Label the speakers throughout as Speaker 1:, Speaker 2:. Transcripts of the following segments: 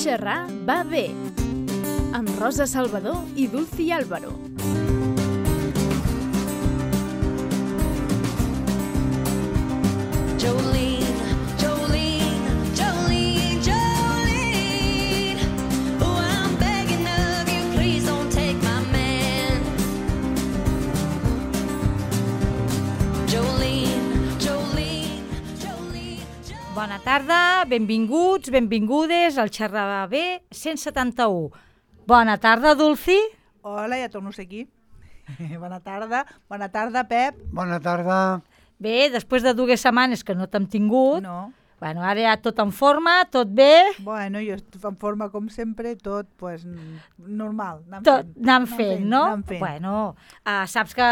Speaker 1: Xerrar va bé, amb Rosa Salvador i Dulci Álvaro.
Speaker 2: Jolene, Jolene, Jolene, Jolene. Oh, I'm begging of you, please don't take my man. Jolene, Jolene, Jolene, Jolene.
Speaker 3: Bona tarda, benvinguts, benvingudes al Xerrar va bé 171. Bona tarda, Dulci.
Speaker 4: Hola, ja torno a ser aquí. Bona tarda, Pep.
Speaker 5: Bona tarda.
Speaker 3: Bé, després de 2 setmanes que no t'hem tingut,
Speaker 4: No,
Speaker 3: bueno, ara ja tot en forma, tot bé,
Speaker 4: bueno, jo estic en forma com sempre, tot pues, normal.
Speaker 3: tot anant fent, no?
Speaker 4: Anant fent.
Speaker 3: Bueno, saps que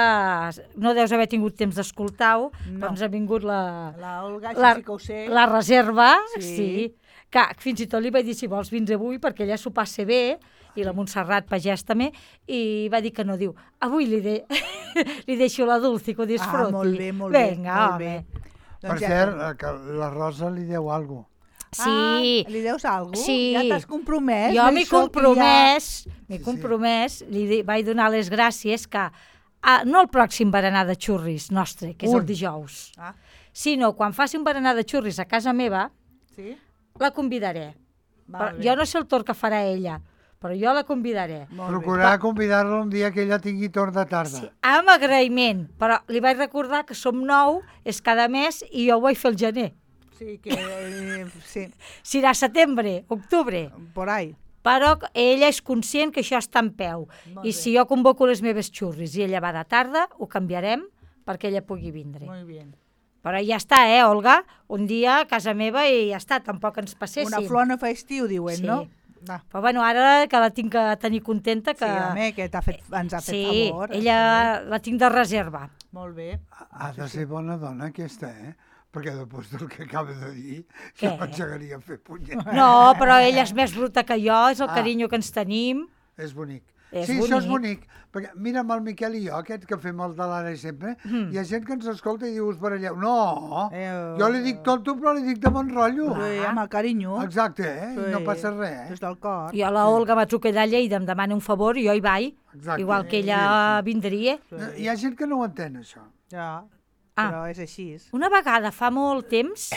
Speaker 3: no deus haver tingut temps d'escoltar-ho,
Speaker 4: No.
Speaker 3: però ens ha vingut
Speaker 4: La Olga,
Speaker 3: la-
Speaker 4: sí que ho sé.
Speaker 3: la reserva,
Speaker 4: Sí.
Speaker 3: sí, que fins i tot li vaig dir si vols vins avui perquè ella s'ho passa bé, i la Montserrat Pagès també, i va dir que no, diu, avui li deixo la Dulci que ho disfruti.
Speaker 4: molt bé, molt bé,
Speaker 3: Vinga,
Speaker 4: molt
Speaker 3: home.
Speaker 4: bé.
Speaker 5: Per
Speaker 4: Doncs
Speaker 5: cert, que la Rosa li deu alguna cosa.
Speaker 3: Sí,
Speaker 4: Li deus alguna cosa?
Speaker 3: Sí.
Speaker 4: Ja t'has compromès?
Speaker 3: jo m'he
Speaker 4: d'això que
Speaker 3: compromès,
Speaker 5: Sí.
Speaker 3: vaig donar les gràcies que, no el pròxim berenar de xurris nostre, que és el dijous,
Speaker 4: Ja... Ah,
Speaker 3: sinó quan faci un berenar de xurris a casa meva,
Speaker 4: sí?
Speaker 3: la convidaré.
Speaker 4: Val bé.
Speaker 3: Jo no sé el torn que farà ella, però jo la convidaré.
Speaker 4: Molt bé.
Speaker 5: Procurar convidar-la un dia que ella tingui torn de tarda.
Speaker 3: Sí, amb agraïment, però li vaig recordar que som 9, és cada mes, i jo ho vaig fer el gener.
Speaker 4: Sí, que... sí,
Speaker 3: Serà setembre, octubre,
Speaker 4: por ahí.
Speaker 3: però ella és conscient que això està en peu.
Speaker 4: Molt
Speaker 3: I
Speaker 4: bé.
Speaker 3: si jo convoco les meves xurris i ella va de tarda, ho canviarem perquè ella pugui vindre.
Speaker 4: Muy bien.
Speaker 3: Però ja està, Olga? Un dia a casa meva i ja està, tampoc ens passéssim.
Speaker 4: Una flor no fa estiu, diuen,
Speaker 3: Sí.
Speaker 4: no? Va.
Speaker 3: Però bueno, ara que la tinc que tenir contenta, que...
Speaker 4: Sí, home, que ens ha fet
Speaker 3: sí,
Speaker 4: favor.
Speaker 3: ella la tinc de reserva.
Speaker 4: Molt bé.
Speaker 5: Ha de ser bona dona aquesta, Perquè després del que acaba de dir,
Speaker 3: Què?
Speaker 5: jo m'engegaria a fer punyet.
Speaker 3: No, però ella és més bruta que jo, és el
Speaker 5: Ah.
Speaker 3: carinyo que ens tenim.
Speaker 5: És bonic.
Speaker 3: És
Speaker 5: Sí, això és
Speaker 3: bonic.
Speaker 5: bonic. Perquè mira'm el Miquel i jo, aquest que fem el de l'ara sempre, hi ha gent que ens escolta i diu, us baralleu. No, jo li dic tonto, però li dic de bon rotllo.
Speaker 4: Sí, amb el carinyo.
Speaker 5: Exacte,
Speaker 4: Sí.
Speaker 5: no passa res.
Speaker 4: Des del cor.
Speaker 3: Jo a la Olga m'ha trucat allà i em demana un favor i jo hi vaig,
Speaker 5: Exacte.
Speaker 3: igual que ella vindria.
Speaker 5: Hi ha gent que no ho entén, això.
Speaker 4: Ja,
Speaker 3: Ah.
Speaker 4: però és així.
Speaker 3: Una vegada, fa molt temps,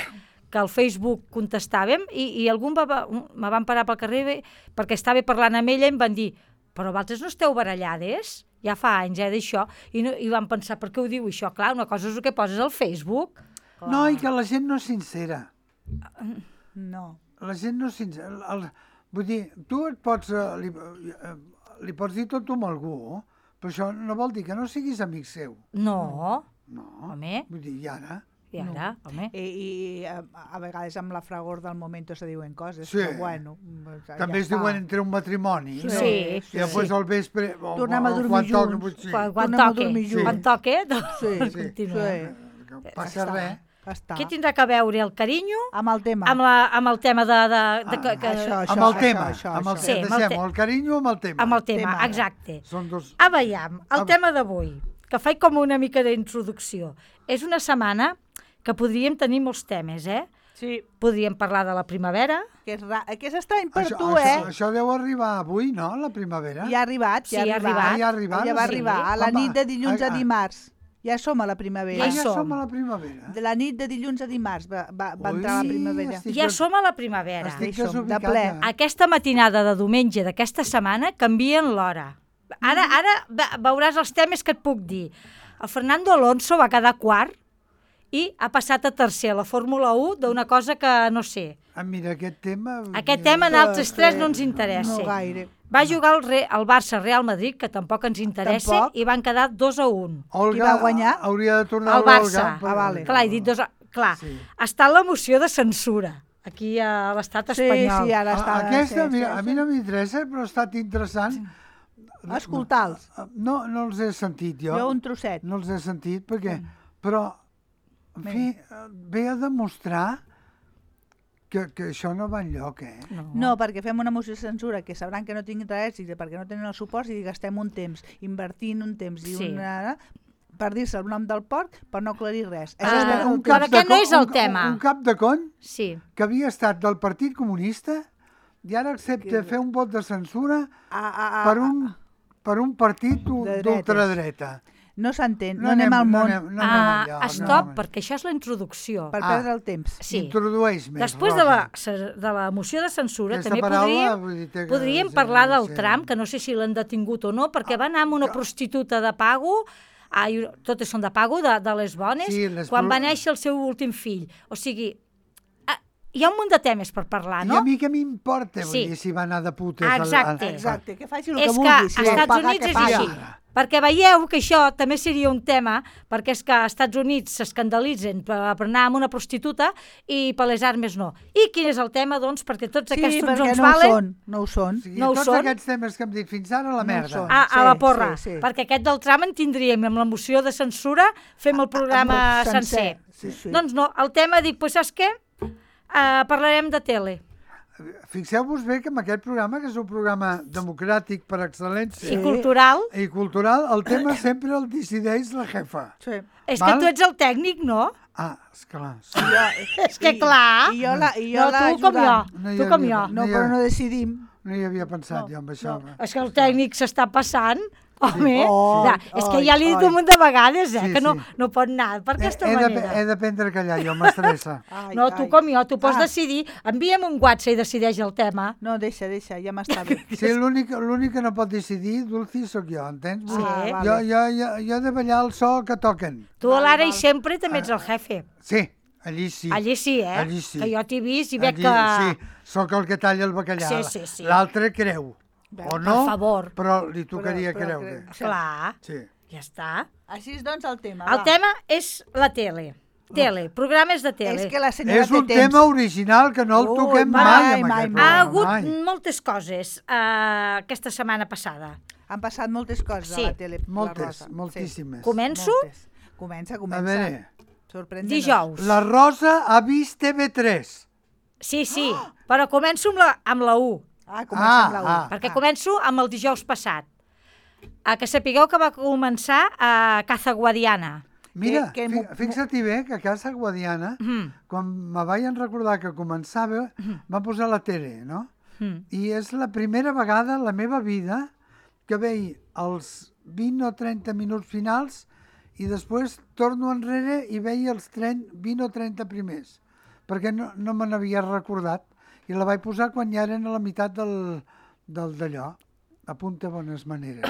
Speaker 3: que al Facebook contestàvem i algú me van parar pel carrer perquè estava parlant amb ella i em van dir però vosaltres no esteu barallades? Ja fa anys, d'això. I van pensar, per què ho diu això? Clar, una cosa és el que poses al Facebook.
Speaker 5: No, i que la gent no és sincera.
Speaker 4: No.
Speaker 5: La gent no és sincera. Vull dir, tu et pots, li pots dir tot amb algú, però això no vol dir que no siguis amic seu.
Speaker 3: No,
Speaker 5: No.
Speaker 3: home,
Speaker 5: Vull dir, i ara?
Speaker 3: i ara, home.
Speaker 4: I a vegades amb la fragor del moment se diuen coses,
Speaker 5: Sí.
Speaker 4: però bueno.
Speaker 5: També es diuen entre un matrimoni, no?
Speaker 3: Sí,
Speaker 5: I després al vespre... o-
Speaker 4: Tornem a
Speaker 5: o
Speaker 4: dormir
Speaker 5: quan toca,
Speaker 4: junts.
Speaker 5: potser-
Speaker 3: Quan
Speaker 4: Tornem a
Speaker 3: toque,
Speaker 4: dormir junts.
Speaker 3: quan toque, doncs
Speaker 4: Sí,
Speaker 3: continua.
Speaker 5: Que passa res.
Speaker 4: Està.
Speaker 3: Què tindrà que veure el carinyo
Speaker 4: Amb el tema.
Speaker 3: amb el tema de que
Speaker 4: això.
Speaker 5: Amb el tema,
Speaker 4: això.
Speaker 5: amb el
Speaker 3: Sí,
Speaker 5: tema.
Speaker 3: amb el
Speaker 5: Deixem el carinyo amb el tema.
Speaker 3: amb el tema,
Speaker 4: tema.
Speaker 3: exacte.
Speaker 5: Són dos...
Speaker 3: Veiem, el tema d'avui, que faig com una mica d'introducció. És una setmana que podríem tenir molts temes,
Speaker 4: Sí,
Speaker 3: Podríem parlar de la primavera,
Speaker 4: que és estrany per
Speaker 5: Això,
Speaker 4: tu,
Speaker 5: això deu arribar avui, no?, la primavera.
Speaker 4: Ja ha arribat,
Speaker 3: Sí,
Speaker 4: ja
Speaker 3: ha
Speaker 4: ha arribat.
Speaker 3: arribat.
Speaker 5: Ja ha arribat,
Speaker 4: Ja va
Speaker 5: sí.
Speaker 4: arribar, a la
Speaker 5: Home,
Speaker 4: nit de dilluns a
Speaker 5: ah,
Speaker 4: dimarts. Ja som a la primavera.
Speaker 3: Ja hi
Speaker 5: ja
Speaker 3: som.
Speaker 5: som a la primavera.
Speaker 4: De la nit de dilluns a dimarts va
Speaker 5: Ui,
Speaker 4: entrar la primavera.
Speaker 5: estic-
Speaker 3: ja som a la primavera.
Speaker 5: Estic
Speaker 4: Hi som, de
Speaker 5: desubicat,
Speaker 4: ple.
Speaker 5: ja.
Speaker 3: Aquesta matinada de diumenge d'aquesta setmana canvien l'hora. Ara veuràs els temes que et puc dir. El Fernando Alonso va quedar quart i ha passat a tercer a la Fórmula 1 d'una cosa que no sé.
Speaker 5: Mira, aquest tema...
Speaker 3: Aquest tema en altres tres no ens interessa.
Speaker 4: No gaire.
Speaker 3: Va jugar el Barça-Real Madrid, que tampoc ens interessa,
Speaker 4: Tampoc.
Speaker 3: i van quedar 2-1.
Speaker 5: Olga
Speaker 4: Qui va guanyar?
Speaker 5: hauria de tornar
Speaker 3: El Barça.
Speaker 5: Olga,
Speaker 4: vale.
Speaker 3: Clar, he dit Clar,
Speaker 5: Sí.
Speaker 3: està la moció de censura aquí a l'estat
Speaker 4: Sí,
Speaker 3: espanyol.
Speaker 4: sí, ara està...
Speaker 5: Aquesta,
Speaker 4: sí,
Speaker 5: mira,
Speaker 4: sí,
Speaker 5: a mi no m'interessa, però ha estat interessant.
Speaker 4: Escolta'ls.
Speaker 5: No els he sentit jo.
Speaker 4: Jo un trosset.
Speaker 5: No els he sentit perquè... Però, en fi, ve a demostrar que això no va enlloc,
Speaker 4: No, perquè fem una moció de censura que sabran que no tinc interès i perquè no tenen el suport i gastem un temps, invertint un temps i
Speaker 3: Sí.
Speaker 4: per dir-se el nom del porc, per no aclarir res.
Speaker 3: Un
Speaker 5: cap
Speaker 3: però
Speaker 5: de
Speaker 3: aquest no
Speaker 5: co-
Speaker 3: és el tema.
Speaker 5: Un cap de cony
Speaker 3: Sí.
Speaker 5: que havia estat del Partit Comunista i ara accepta fer un vot de censura per un partit d'ultradreta.
Speaker 4: No s'entén, no anem al món.
Speaker 5: No anem allà,
Speaker 3: Stop, perquè això és la introducció.
Speaker 4: Per perdre el temps.
Speaker 3: Sí.
Speaker 5: Introdueix més,
Speaker 3: Després de la moció de censura
Speaker 5: Aquesta
Speaker 3: també
Speaker 5: paraula, vull dir, té que
Speaker 3: podríem
Speaker 5: ser-
Speaker 3: parlar del
Speaker 5: ser-
Speaker 3: tram, que no sé si l'han detingut o no, perquè va anar amb una prostituta de pago, totes són de pago, de les bones,
Speaker 5: Sí,
Speaker 3: quan va néixer el seu últim fill. O sigui, hi ha un munt de temes per parlar,
Speaker 5: I
Speaker 3: no?
Speaker 5: a mi què m'importa, vull
Speaker 3: Sí.
Speaker 5: dir, si va anar de putes...
Speaker 3: Exacte.
Speaker 4: Exacte, que faci el
Speaker 3: És
Speaker 4: que
Speaker 3: que
Speaker 4: vulgui.
Speaker 3: als
Speaker 4: Si vol
Speaker 3: Estats
Speaker 4: pagar,
Speaker 3: Units
Speaker 4: que
Speaker 3: és
Speaker 4: pagui.
Speaker 3: així. Perquè veieu que això també seria un tema, perquè és que als Estats Units s'escandalitzen per anar amb una prostituta i per les armes no. I quin és el tema, doncs? Perquè tots
Speaker 4: Sí,
Speaker 3: aquests
Speaker 4: perquè
Speaker 3: uns
Speaker 4: no ho
Speaker 3: valen
Speaker 4: són, no ho són.
Speaker 5: O sigui,
Speaker 3: No ho
Speaker 5: tots
Speaker 3: són?
Speaker 5: aquests temes que hem dit fins ara, a la
Speaker 4: ho
Speaker 5: merda.
Speaker 4: són.
Speaker 3: a la porra.
Speaker 4: Sí.
Speaker 3: Perquè aquest del tram en tindríem, amb la moció de censura fem el programa
Speaker 4: Amb el
Speaker 3: sencer.
Speaker 4: Sí.
Speaker 3: Doncs no, el tema dic, doncs saps què? Parlarem de tele.
Speaker 5: Fixeu-vos bé que en aquest programa, que és un programa democràtic per excel·lència
Speaker 3: I cultural.
Speaker 5: i cultural, el tema sempre el decideix la jefa.
Speaker 4: Sí.
Speaker 3: És
Speaker 5: Val?
Speaker 3: que tu ets el tècnic, no?
Speaker 5: Ah, esclar. Sí.
Speaker 3: És que clar.
Speaker 4: I jo
Speaker 3: No, tu com jo.
Speaker 5: No hi
Speaker 3: Tu com
Speaker 5: havia-
Speaker 3: jo.
Speaker 4: No, però no decidim.
Speaker 5: No hi havia pensat jo amb això.
Speaker 3: És que el tècnic s'està passant. Home,
Speaker 4: Oi,
Speaker 3: és que ja li he dit un munt de vegades,
Speaker 5: Sí,
Speaker 3: que no,
Speaker 5: sí.
Speaker 3: no pot anar per aquesta
Speaker 5: He
Speaker 3: manera.
Speaker 5: d'aprendre a callar, jo m'estressa.
Speaker 3: No, tu com jo, tu pots decidir. Envia'm un WhatsApp i decideix el tema.
Speaker 4: No, deixa, ja m'està bé.
Speaker 5: Sí, l'únic que no pot decidir, Dulci, sóc jo, entens?
Speaker 3: Sí.
Speaker 5: Jo he de ballar el so que toquen.
Speaker 3: Tu a l'ara i sempre també ets el jefe.
Speaker 5: Sí, allí sí.
Speaker 3: Allí sí, eh?
Speaker 5: Allí sí.
Speaker 3: Que jo t'he vist i veig
Speaker 5: Allí,
Speaker 3: que...
Speaker 5: Sí, sóc el que talla el bacallà.
Speaker 3: Sí.
Speaker 5: L'altre creu. O no,
Speaker 3: Per favor.
Speaker 5: però li tocaria
Speaker 4: Però
Speaker 5: creure.
Speaker 3: Clar,
Speaker 5: Sí.
Speaker 3: ja està.
Speaker 4: Així és, doncs, el tema.
Speaker 3: El
Speaker 4: va.
Speaker 3: tema és la tele. Programes de tele.
Speaker 4: És que la senyora
Speaker 5: És un
Speaker 4: té temps.
Speaker 5: tema original que no el
Speaker 4: Ui,
Speaker 5: toquem
Speaker 4: mai,
Speaker 5: mai amb
Speaker 4: mai,
Speaker 5: aquest
Speaker 4: mai.
Speaker 3: Ha
Speaker 5: programa.
Speaker 3: hagut
Speaker 5: mai.
Speaker 3: moltes coses aquesta setmana passada.
Speaker 4: Han passat moltes coses
Speaker 3: Sí.
Speaker 4: a la tele. la
Speaker 5: Moltes,
Speaker 4: Rosa.
Speaker 5: moltíssimes.
Speaker 3: Començo?
Speaker 4: Moltes. Comença.
Speaker 5: A veure,
Speaker 4: Sorprèn-nos.
Speaker 3: Dijous.
Speaker 5: la Rosa ha vist TV3.
Speaker 3: Sí, però començo amb la 1,
Speaker 4: Comença amb la 1.
Speaker 3: perquè començo amb el dijous passat. Que sapigueu que va començar a Caza Guadiana.
Speaker 5: Mira,
Speaker 4: Que-
Speaker 5: fixa't bé que a Casa Guadiana, quan me vaig recordar que començava, va posar la tele, no? I és la primera vegada en la meva vida que veig els 20 o 30 minuts finals i després torno enrere i veig els 20 o 30 primers, perquè no me n'havia recordat. I la vaig posar quan ja eren a la meitat del d'allò. Apunta bones maneres.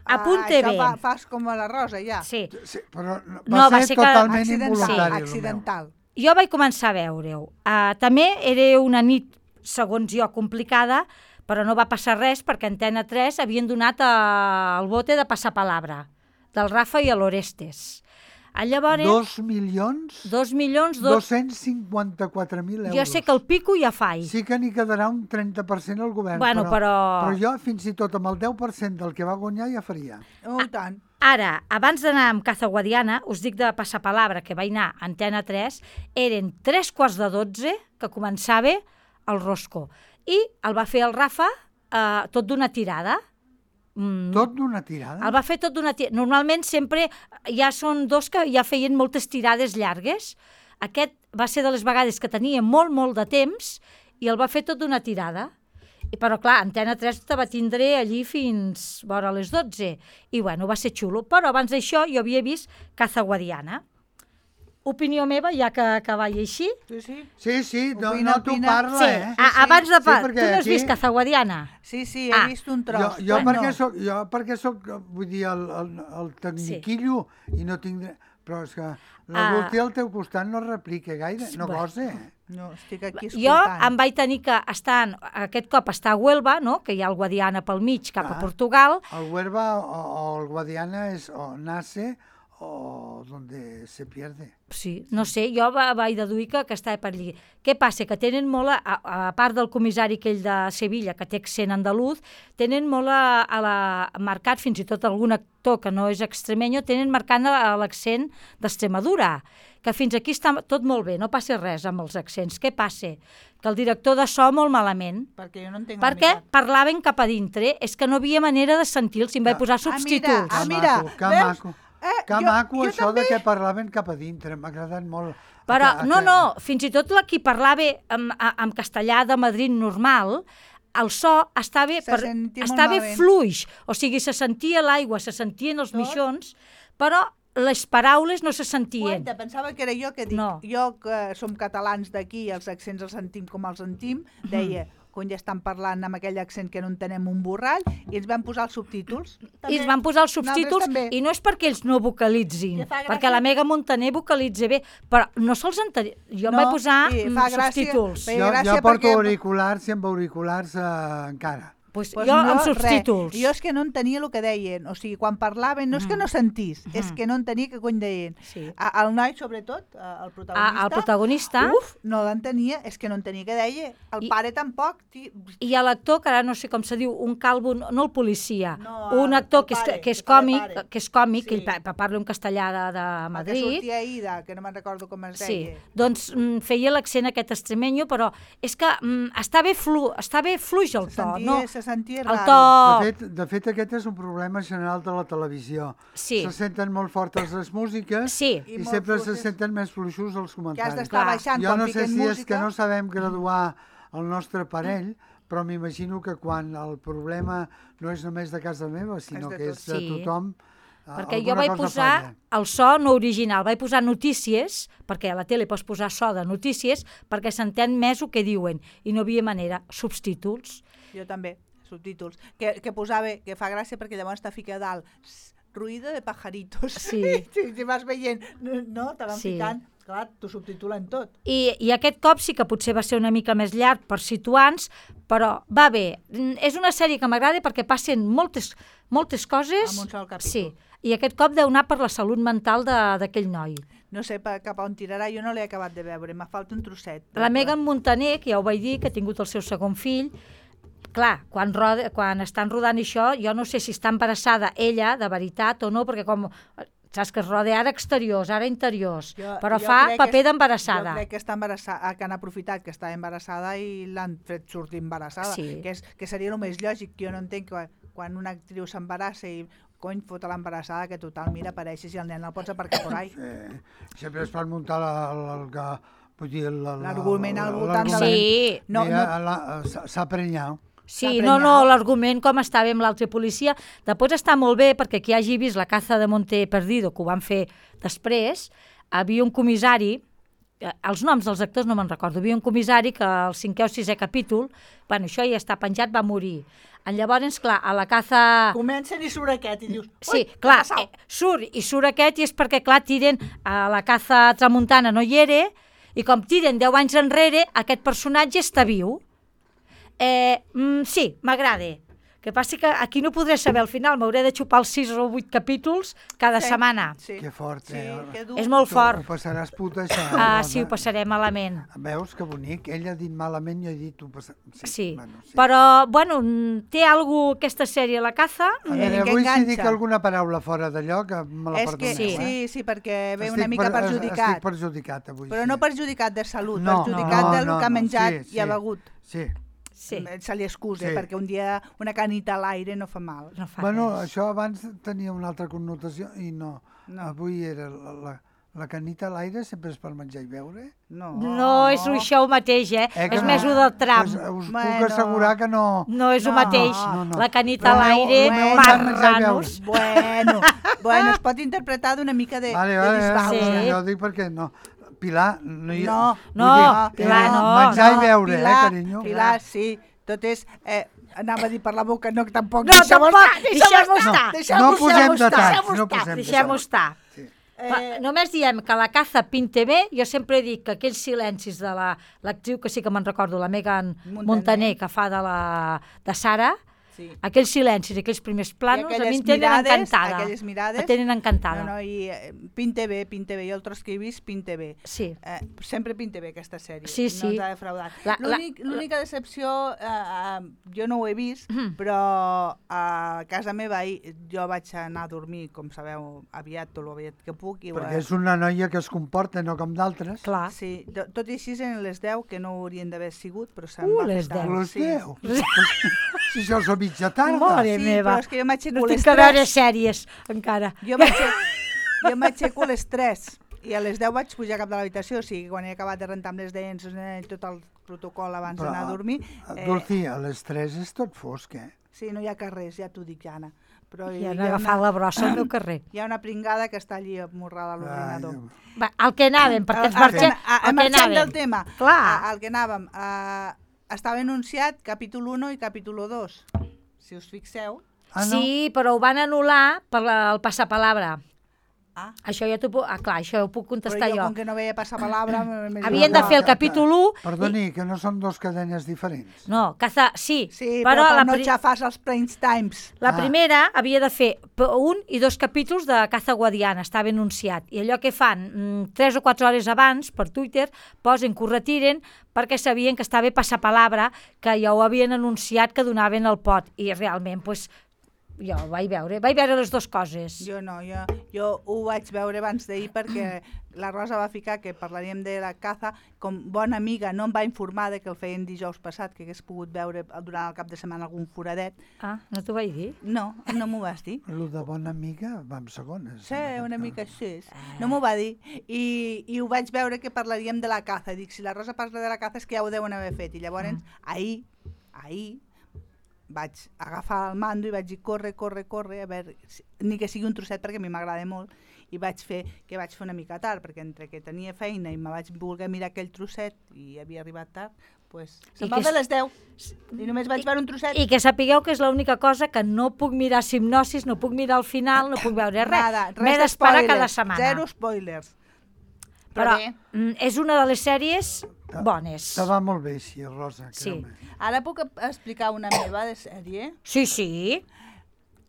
Speaker 3: Apunte bé.
Speaker 4: Això fas com a la Rosa, ja.
Speaker 3: Sí.
Speaker 5: Sí, però
Speaker 3: No, va
Speaker 5: ser
Speaker 3: ser que
Speaker 5: totalment involuntari.
Speaker 4: Accidental.
Speaker 3: Jo vaig començar a veure-ho. També era una nit, segons jo, complicada, però no va passar res perquè Antena 3 havien donat el bote de passapalabra del Rafa i l'Orestes. Llavors,
Speaker 5: 2.254.000 euros.
Speaker 3: jo sé que el pico ja faig.
Speaker 5: Sí que n'hi quedarà un 30% al govern,
Speaker 3: Bueno, però-
Speaker 5: però jo fins i tot amb el 10% del que va guanyar ja faria.
Speaker 4: Oh, i tant.
Speaker 3: Ara, abans d'anar amb Caza Guadiana, us dic de passapalabra que vaig anar a Antena 3, eren 3:45 que començava el Rosco. I el va fer el Rafa tot d'una tirada.
Speaker 5: Tot d'una tirada?
Speaker 3: El va fer tot d'una tirada. Normalment sempre ja són dos que ja feien moltes tirades llargues. Aquest va ser de les vegades que tenia molt de temps i el va fer tot d'una tirada. Però clar, Antena 3 te va tindre allí fins vora les 12. I bueno, va ser xulo. Però abans d'això jo havia vist Caza Guadiana. Opinió meva, ja que vaig així.
Speaker 5: Sí, no
Speaker 4: Opina,
Speaker 5: t'ho
Speaker 4: opina.
Speaker 5: parla,
Speaker 3: Sí,
Speaker 5: eh?
Speaker 3: abans de...
Speaker 5: Sí, perquè
Speaker 3: tu no has
Speaker 5: aquí-
Speaker 3: vist Caza Guadiana?
Speaker 4: Sí, he vist un tros.
Speaker 5: Jo
Speaker 4: Bueno,
Speaker 5: perquè soc, vull dir, el tecniquillo i no tinc... Però és que la Dulce al teu costat no replica gaire, no gosa.
Speaker 4: No, estic aquí
Speaker 3: Jo
Speaker 4: escoltant.
Speaker 3: em vaig tenir que estar, aquest cop està a Huelva, no? Que hi ha el Guadiana pel mig cap a Portugal.
Speaker 5: El Huelva o el Guadiana es o nace o donde se pierde.
Speaker 3: Sí, no sé, jo vaig deduir que estava per allí. Què passa? Que tenen molt, a part del comissari aquell de Sevilla, que té accent andaluz, tenen molt marcat, fins i tot algun actor que no és extremenyo, tenen marcant l'accent d'Extremadura, que fins aquí està tot molt bé, no passa res amb els accents. Què passa? Que el director de so molt malament,
Speaker 4: Perquè jo no entenc
Speaker 3: perquè parlaven cap a dintre, és que no havia manera de sentir-los, si em vaig posar subtítols.
Speaker 4: mira,
Speaker 5: Que
Speaker 4: veus?
Speaker 5: maco. Que maco això de que parlaven cap a dintre, m'ha agradat molt.
Speaker 3: Però, fins i tot qui parlava en castellà de Madrid normal, el so estava fluix, o sigui, se sentia l'aigua, se sentien els mixons, però les paraules no se sentien.
Speaker 4: Pensava que era jo que dic, jo que som catalans d'aquí, els accents els sentim com els sentim, deia, quan ja estan parlant amb aquell accent que no entenem un borrall, i ens van posar els subtítols.
Speaker 3: I ens van posar els subtítols, i no és perquè ells no vocalitzin, perquè la Mega Montaner vocalitza bé, però no se'ls entenia. Jo em vaig posar subtítols.
Speaker 5: Jo porto auriculars i amb auriculars encara.
Speaker 3: Jo amb subtítols.
Speaker 4: Jo és que no entenia el que deien. O sigui, quan parlaven, no és que no sentís, és que no entenia què cony deien. El noi, sobretot, el
Speaker 3: protagonista,
Speaker 4: no l'entenia, és que no entenia què deia. El pare tampoc.
Speaker 3: I l'actor, que ara no sé com se diu, un calvo, no el policia, un actor que és còmic, que ell parla un castellà de Madrid.
Speaker 4: Que sortia Ida, que no me'n recordo com es deia.
Speaker 3: Doncs feia l'accent aquest extremenyo, però és que estava fluix el to, no?
Speaker 4: sentia
Speaker 3: raro.
Speaker 5: De fet, aquest és un problema general de la televisió. Se senten molt fortes les músiques i sempre se senten més fluixos els comentaris.
Speaker 4: Que has d'estar baixant
Speaker 5: jo no sé si és que no sabem graduar el nostre parell, però m'imagino que quan el problema no és només de casa meva, sinó que és de tothom,
Speaker 3: perquè jo vaig posar el so no original, vaig posar notícies, perquè a la tele pots posar so de notícies, perquè s'entén més el que diuen, i no havia manera, subtítols.
Speaker 4: Jo també, subtítols, que posava, que fa gràcia perquè llavors està ficat dalt, ruïdo de pajaritos. Si vas veient, no, te van ficant, clar, t'ho subtitulen tot.
Speaker 3: I aquest cop sí que potser va ser una mica més llarg per situar-nos, però va bé. És una sèrie que m'agrada perquè passen moltes coses.
Speaker 4: En un sol capítol.
Speaker 3: Sí, i aquest cop deu anar per la salut mental d'aquell noi.
Speaker 4: No sé cap on tirarà, jo no l'he acabat de veure, m'ha falta un trosset.
Speaker 3: La Megan Montaner, que ja ho vaig dir, que ha tingut el seu segon fill, clar, quan estan rodant això, jo no sé si està embarassada ella, de veritat o no, perquè com saps que es roda ara exteriors, ara interiors, però fa paper d'embarassada.
Speaker 4: Jo crec que està embarassada, que han aprofitat que està embarassada i l'han fet sortir embarassada, que seria el més lògic, que jo no entenc que quan una actriu s'embarassa i cony, fota l'embarassada, que total, mira, apareixes i el nen el pots aparcar por ahí.
Speaker 5: Sempre es pot muntar
Speaker 4: l'argument al voltant
Speaker 3: de
Speaker 5: s'ha prenyat.
Speaker 3: Sí, no, l'argument com estava amb l'altre policia. Després està molt bé perquè qui hagi vist La caza de Monte Perdido, que ho van fer després, havia un comissari, els noms dels actors no me'n recordo, havia un comissari que al 5è o 6è capítol, bueno, això ja està penjat, va morir. Llavors, clar, a La caza...
Speaker 4: Comencen i surt aquest i dius...
Speaker 3: Sí, clar, surt aquest i és perquè, clar, tiren a La caza tramuntana no hi era i com tiren 10 anys enrere, aquest personatge està viu. Sí, m'agrada. Que passi que aquí no podré saber al final, m'hauré de xupar els 6 o 8 capítols cada setmana.
Speaker 5: Que fort,
Speaker 3: és molt fort.
Speaker 5: Ho passaràs puta, això.
Speaker 3: Sí, ho passaré malament.
Speaker 5: Veus que bonic? Ell ha dit malament, jo he dit...
Speaker 3: Sí, però, bueno, té alguna aquesta sèrie, La caza...
Speaker 5: A veure, avui si dic alguna paraula fora d'allò, que me la perdoneu.
Speaker 4: Sí, perquè ve una mica perjudicat.
Speaker 5: Estic perjudicat avui.
Speaker 4: Però no perjudicat de salut, perjudicat del que ha menjat i ha begut.
Speaker 5: Sí.
Speaker 4: Se li excusa, perquè un dia una canita a l'aire no fa mal.
Speaker 5: Bueno, això abans tenia una altra connotació i no. Avui era la canita a l'aire sempre és per menjar i beure?
Speaker 3: No, és això mateix, és més un del tram.
Speaker 5: Us puc assegurar que no...
Speaker 3: No és el mateix. La canita a l'aire, marranos.
Speaker 4: Bueno, es pot interpretar d'una mica de disbauxa.
Speaker 5: Jo ho dic perquè no... Pilar,
Speaker 3: Pilar no.
Speaker 5: Menjar i beure, carinyo.
Speaker 4: Pilar, sí. Tot és... Anava a dir per la boca, no, tampoc.
Speaker 3: No, deixem-ho estar.
Speaker 5: No posem detalls.
Speaker 3: Deixem-ho estar. Només diem que La caza pinte bé, jo sempre dic que aquells silencis de l'actriu, que sí que me'n recordo, la Megan Montaner, que fa de Sara, aquells silencis, aquells primers planos, a mi em tenen encantada.
Speaker 4: Aquelles mirades.
Speaker 3: Em tenen encantada.
Speaker 4: No, i pinte bé, jo el tros que he vist, pinte bé.
Speaker 3: Sí.
Speaker 4: Sempre pinte bé aquesta sèrie.
Speaker 3: Sí.
Speaker 4: No ens ha defraudat. L'única decepció, jo no ho he vist, però a casa meva jo vaig anar a dormir, com sabeu, aviat, tot l'aviat que puc.
Speaker 5: Perquè és una noia que es comporta, no com d'altres.
Speaker 3: Clar.
Speaker 4: Sí, tot i així en les 10, que no haurien d'haver sigut, però se'n va
Speaker 3: les 10.
Speaker 5: Les 10? Si això és a mitja tarda.
Speaker 3: Mare meva.
Speaker 4: Però és que jo m'aixeco
Speaker 3: no tinc que veure sèries, encara.
Speaker 4: Jo Jo m'aixeco a les 3 i a les 10 vaig pujar cap de l'habitació, o sigui, quan he acabat de rentar amb les dents, tot el protocol abans d'anar a dormir...
Speaker 5: Dulci, a les 3 és tot fosc, eh?
Speaker 4: Sí, no hi ha carrers, ja t'ho dic, Anna. Però
Speaker 3: I han agafat la brossa al meu carrer.
Speaker 4: Hi ha una pringada que està allí amorrada a l'ordinador.
Speaker 3: Va, al que anàvem, perquè ens marxem...
Speaker 4: Marxem del tema.
Speaker 3: Clar.
Speaker 4: Al que anàvem. Estava anunciat capítol 1 i capítol 2. Si us fixeu.
Speaker 3: Sí, però ho van anul·lar per el passapalabra. Això ja t'ho puc... clar, això ho puc contestar
Speaker 4: però
Speaker 3: jo.
Speaker 4: Com que no veia passar palabra...
Speaker 3: Havien de fer el capítol 1...
Speaker 5: Perdoni, que no són dos cadenes diferents.
Speaker 3: No, sí.
Speaker 4: Sí, però per no xafar els prime times.
Speaker 3: La primera havia de fer 1 i 2 capítols de Caza Guadiana, estava anunciat. I allò que fan 3 o 4 hores abans, per Twitter, posen que ho retiren perquè sabien que estava passapalabra, que ja ho havien anunciat que donaven el pot. I realment, doncs, jo ho vaig veure les dues coses.
Speaker 4: Jo no, jo ho vaig veure abans d'ahir perquè la Rosa va ficar que parlaríem de la caza, com bona amiga no em va informar de que el feien dijous passat, que hagués pogut veure durant el cap de setmana algun foradet.
Speaker 3: No t'ho vaig dir?
Speaker 4: No m'ho vas dir.
Speaker 5: Lo de bona amiga va amb segones.
Speaker 4: Sí, una mica així. No m'ho va dir. I ho vaig veure que parlaríem de la caza. Dic, si la Rosa parla de la caza és que ja ho deuen haver fet. I llavors, ahir, vaig agafar el mando i vaig dir corre, a veure, ni que sigui un trosset perquè a mi m'agrada molt, i vaig fer una mica tard, perquè entre que tenia feina i me vaig voler mirar aquell trosset i havia arribat tard, doncs se'n va de les 10 i només vaig veure un trosset.
Speaker 3: I que sapigueu que és l'única cosa que no puc mirar Hipnosis, no puc mirar al final, no puc veure res. M'he d'esperar cada setmana.
Speaker 4: Zero spoilers.
Speaker 3: Però és una de les sèries bones.
Speaker 5: Te va molt bé, sí, Rosa.
Speaker 3: Sí.
Speaker 4: Ara puc explicar una meva de sèrie?
Speaker 3: Sí.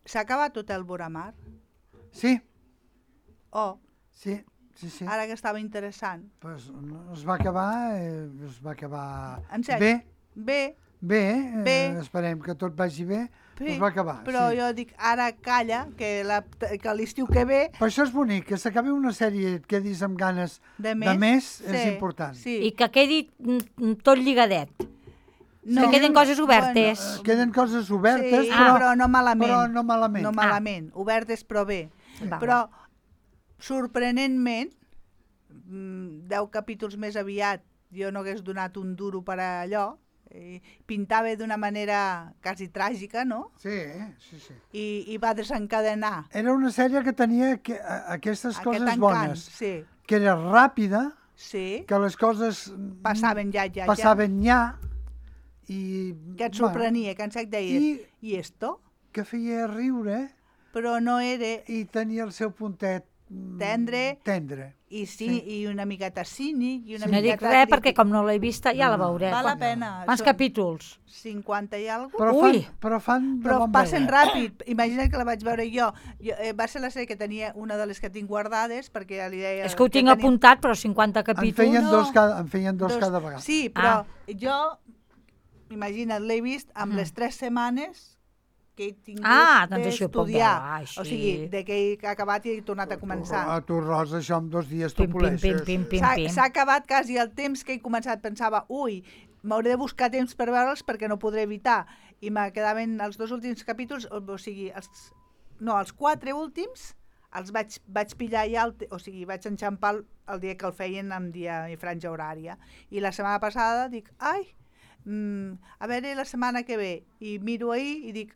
Speaker 4: S'ha acabat Hotel Boramar?
Speaker 5: Sí.
Speaker 4: Sí. Ara que estava interessant.
Speaker 5: Pues es va acabar
Speaker 4: en sèrio?
Speaker 5: Bé, esperem que tot vagi bé. Es va acabar,
Speaker 4: però jo dic, ara calla, que l'estiu que ve...
Speaker 5: Però això és bonic, que s'acabi una sèrie que quedis amb ganes de més és important.
Speaker 3: Sí. I que quedi tot lligadet. Que queden coses obertes.
Speaker 5: Queden coses obertes,
Speaker 4: però no malament.
Speaker 5: No
Speaker 4: malament, obertes però bé. Però, sorprenentment, 10 capítols més aviat, jo no hagués donat un duro per a allò, pintava d'una manera quasi tràgica, no?
Speaker 5: Sí.
Speaker 4: I va desencadenar.
Speaker 5: Era una sèrie que tenia aquestes coses bones. Que era ràpida, que les coses
Speaker 4: passaven ja.
Speaker 5: I
Speaker 4: que et sorprenia, que en sec deies, i esto?
Speaker 5: Que feia riure,
Speaker 4: però no era...
Speaker 5: I tenia el seu puntet tendre.
Speaker 4: I una miqueta cínic.
Speaker 3: No dic res perquè com no l'he vista ja la veuré.
Speaker 4: Val la pena.
Speaker 3: Quants capítols?
Speaker 4: 50 i alguna cosa.
Speaker 5: Però
Speaker 4: passen ràpid. Imagina't que la vaig veure jo. Va ser la sèrie que tenia una de les que tinc guardades perquè li deia...
Speaker 3: És que ho tinc apuntat, però 50 capítols...
Speaker 5: En feien dos cada vegada.
Speaker 4: Sí, però jo, imagina't, l'he vist amb les 3 setmanes que he tingut d'estudiar. O sigui, de que he acabat i he tornat a començar.
Speaker 5: A tu, Rosa, això en 2 dies t'ho poleixes.
Speaker 4: S'ha acabat quasi el temps que he començat. Pensava, m'hauré de buscar temps per veure'ls perquè no podré evitar. I me quedaven els 2 últims capítols, o sigui, els 4 últims els vaig pillar ja, vaig enxampar el dia que el feien en dia i franja horària. I la setmana passada dic, a veure la setmana que ve, i miro ahir i dic,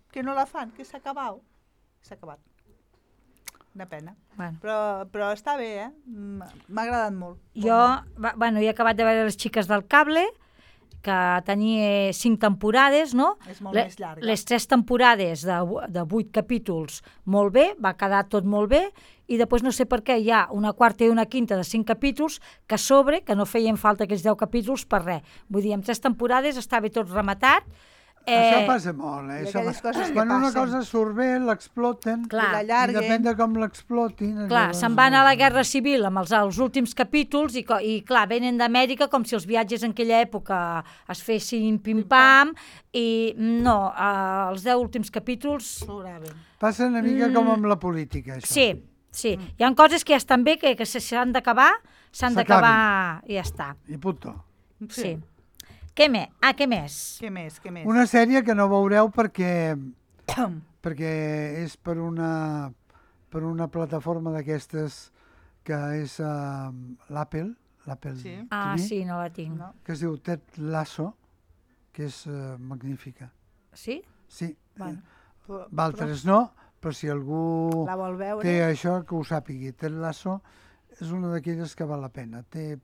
Speaker 4: que no la fan, que s'ha acabat. S'ha acabat. Una pena. Però està bé, m'ha agradat molt.
Speaker 3: Jo he acabat de veure Les xiques del cable, que tenia 5 temporades, no?
Speaker 4: És molt més llarga.
Speaker 3: Les 3 temporades de 8 capítols, molt bé, va quedar tot molt bé, i després no sé per què hi ha una quarta i una quinta de 5 capítols que que no feien falta aquells 10 capítols per res. Vull dir, en 3 temporades estava tot rematat.
Speaker 5: Això passa molt, Quan una cosa surt bé, l'exploten, i depèn de com l'explotin.
Speaker 3: Clar, se'n van a la Guerra Civil amb els últims capítols i clar, venen d'Amèrica com si els viatges en aquella època es fessin pim-pam, i no, els 10 últims capítols...
Speaker 5: Passa una mica com amb la política, això.
Speaker 3: Sí. Hi ha coses que ja estan bé, que s'han d'acabar, i ja està.
Speaker 5: I punto.
Speaker 3: Sí. Què més? Què més?
Speaker 5: Una sèrie que no veureu perquè és per una per una plataforma d'aquestes que és l'Apple
Speaker 4: Sí.
Speaker 3: Ah,
Speaker 5: TV,
Speaker 3: sí, no la tinc.
Speaker 4: No?
Speaker 5: que es diu Ted Lasso, que és magnífica.
Speaker 3: Sí?
Speaker 5: Sí,
Speaker 3: Bueno.
Speaker 5: d'altres no, però si algú
Speaker 4: La vol veure?
Speaker 5: té això, que ho sàpigui. Ted Lasso és una d'aquelles que val la pena. Té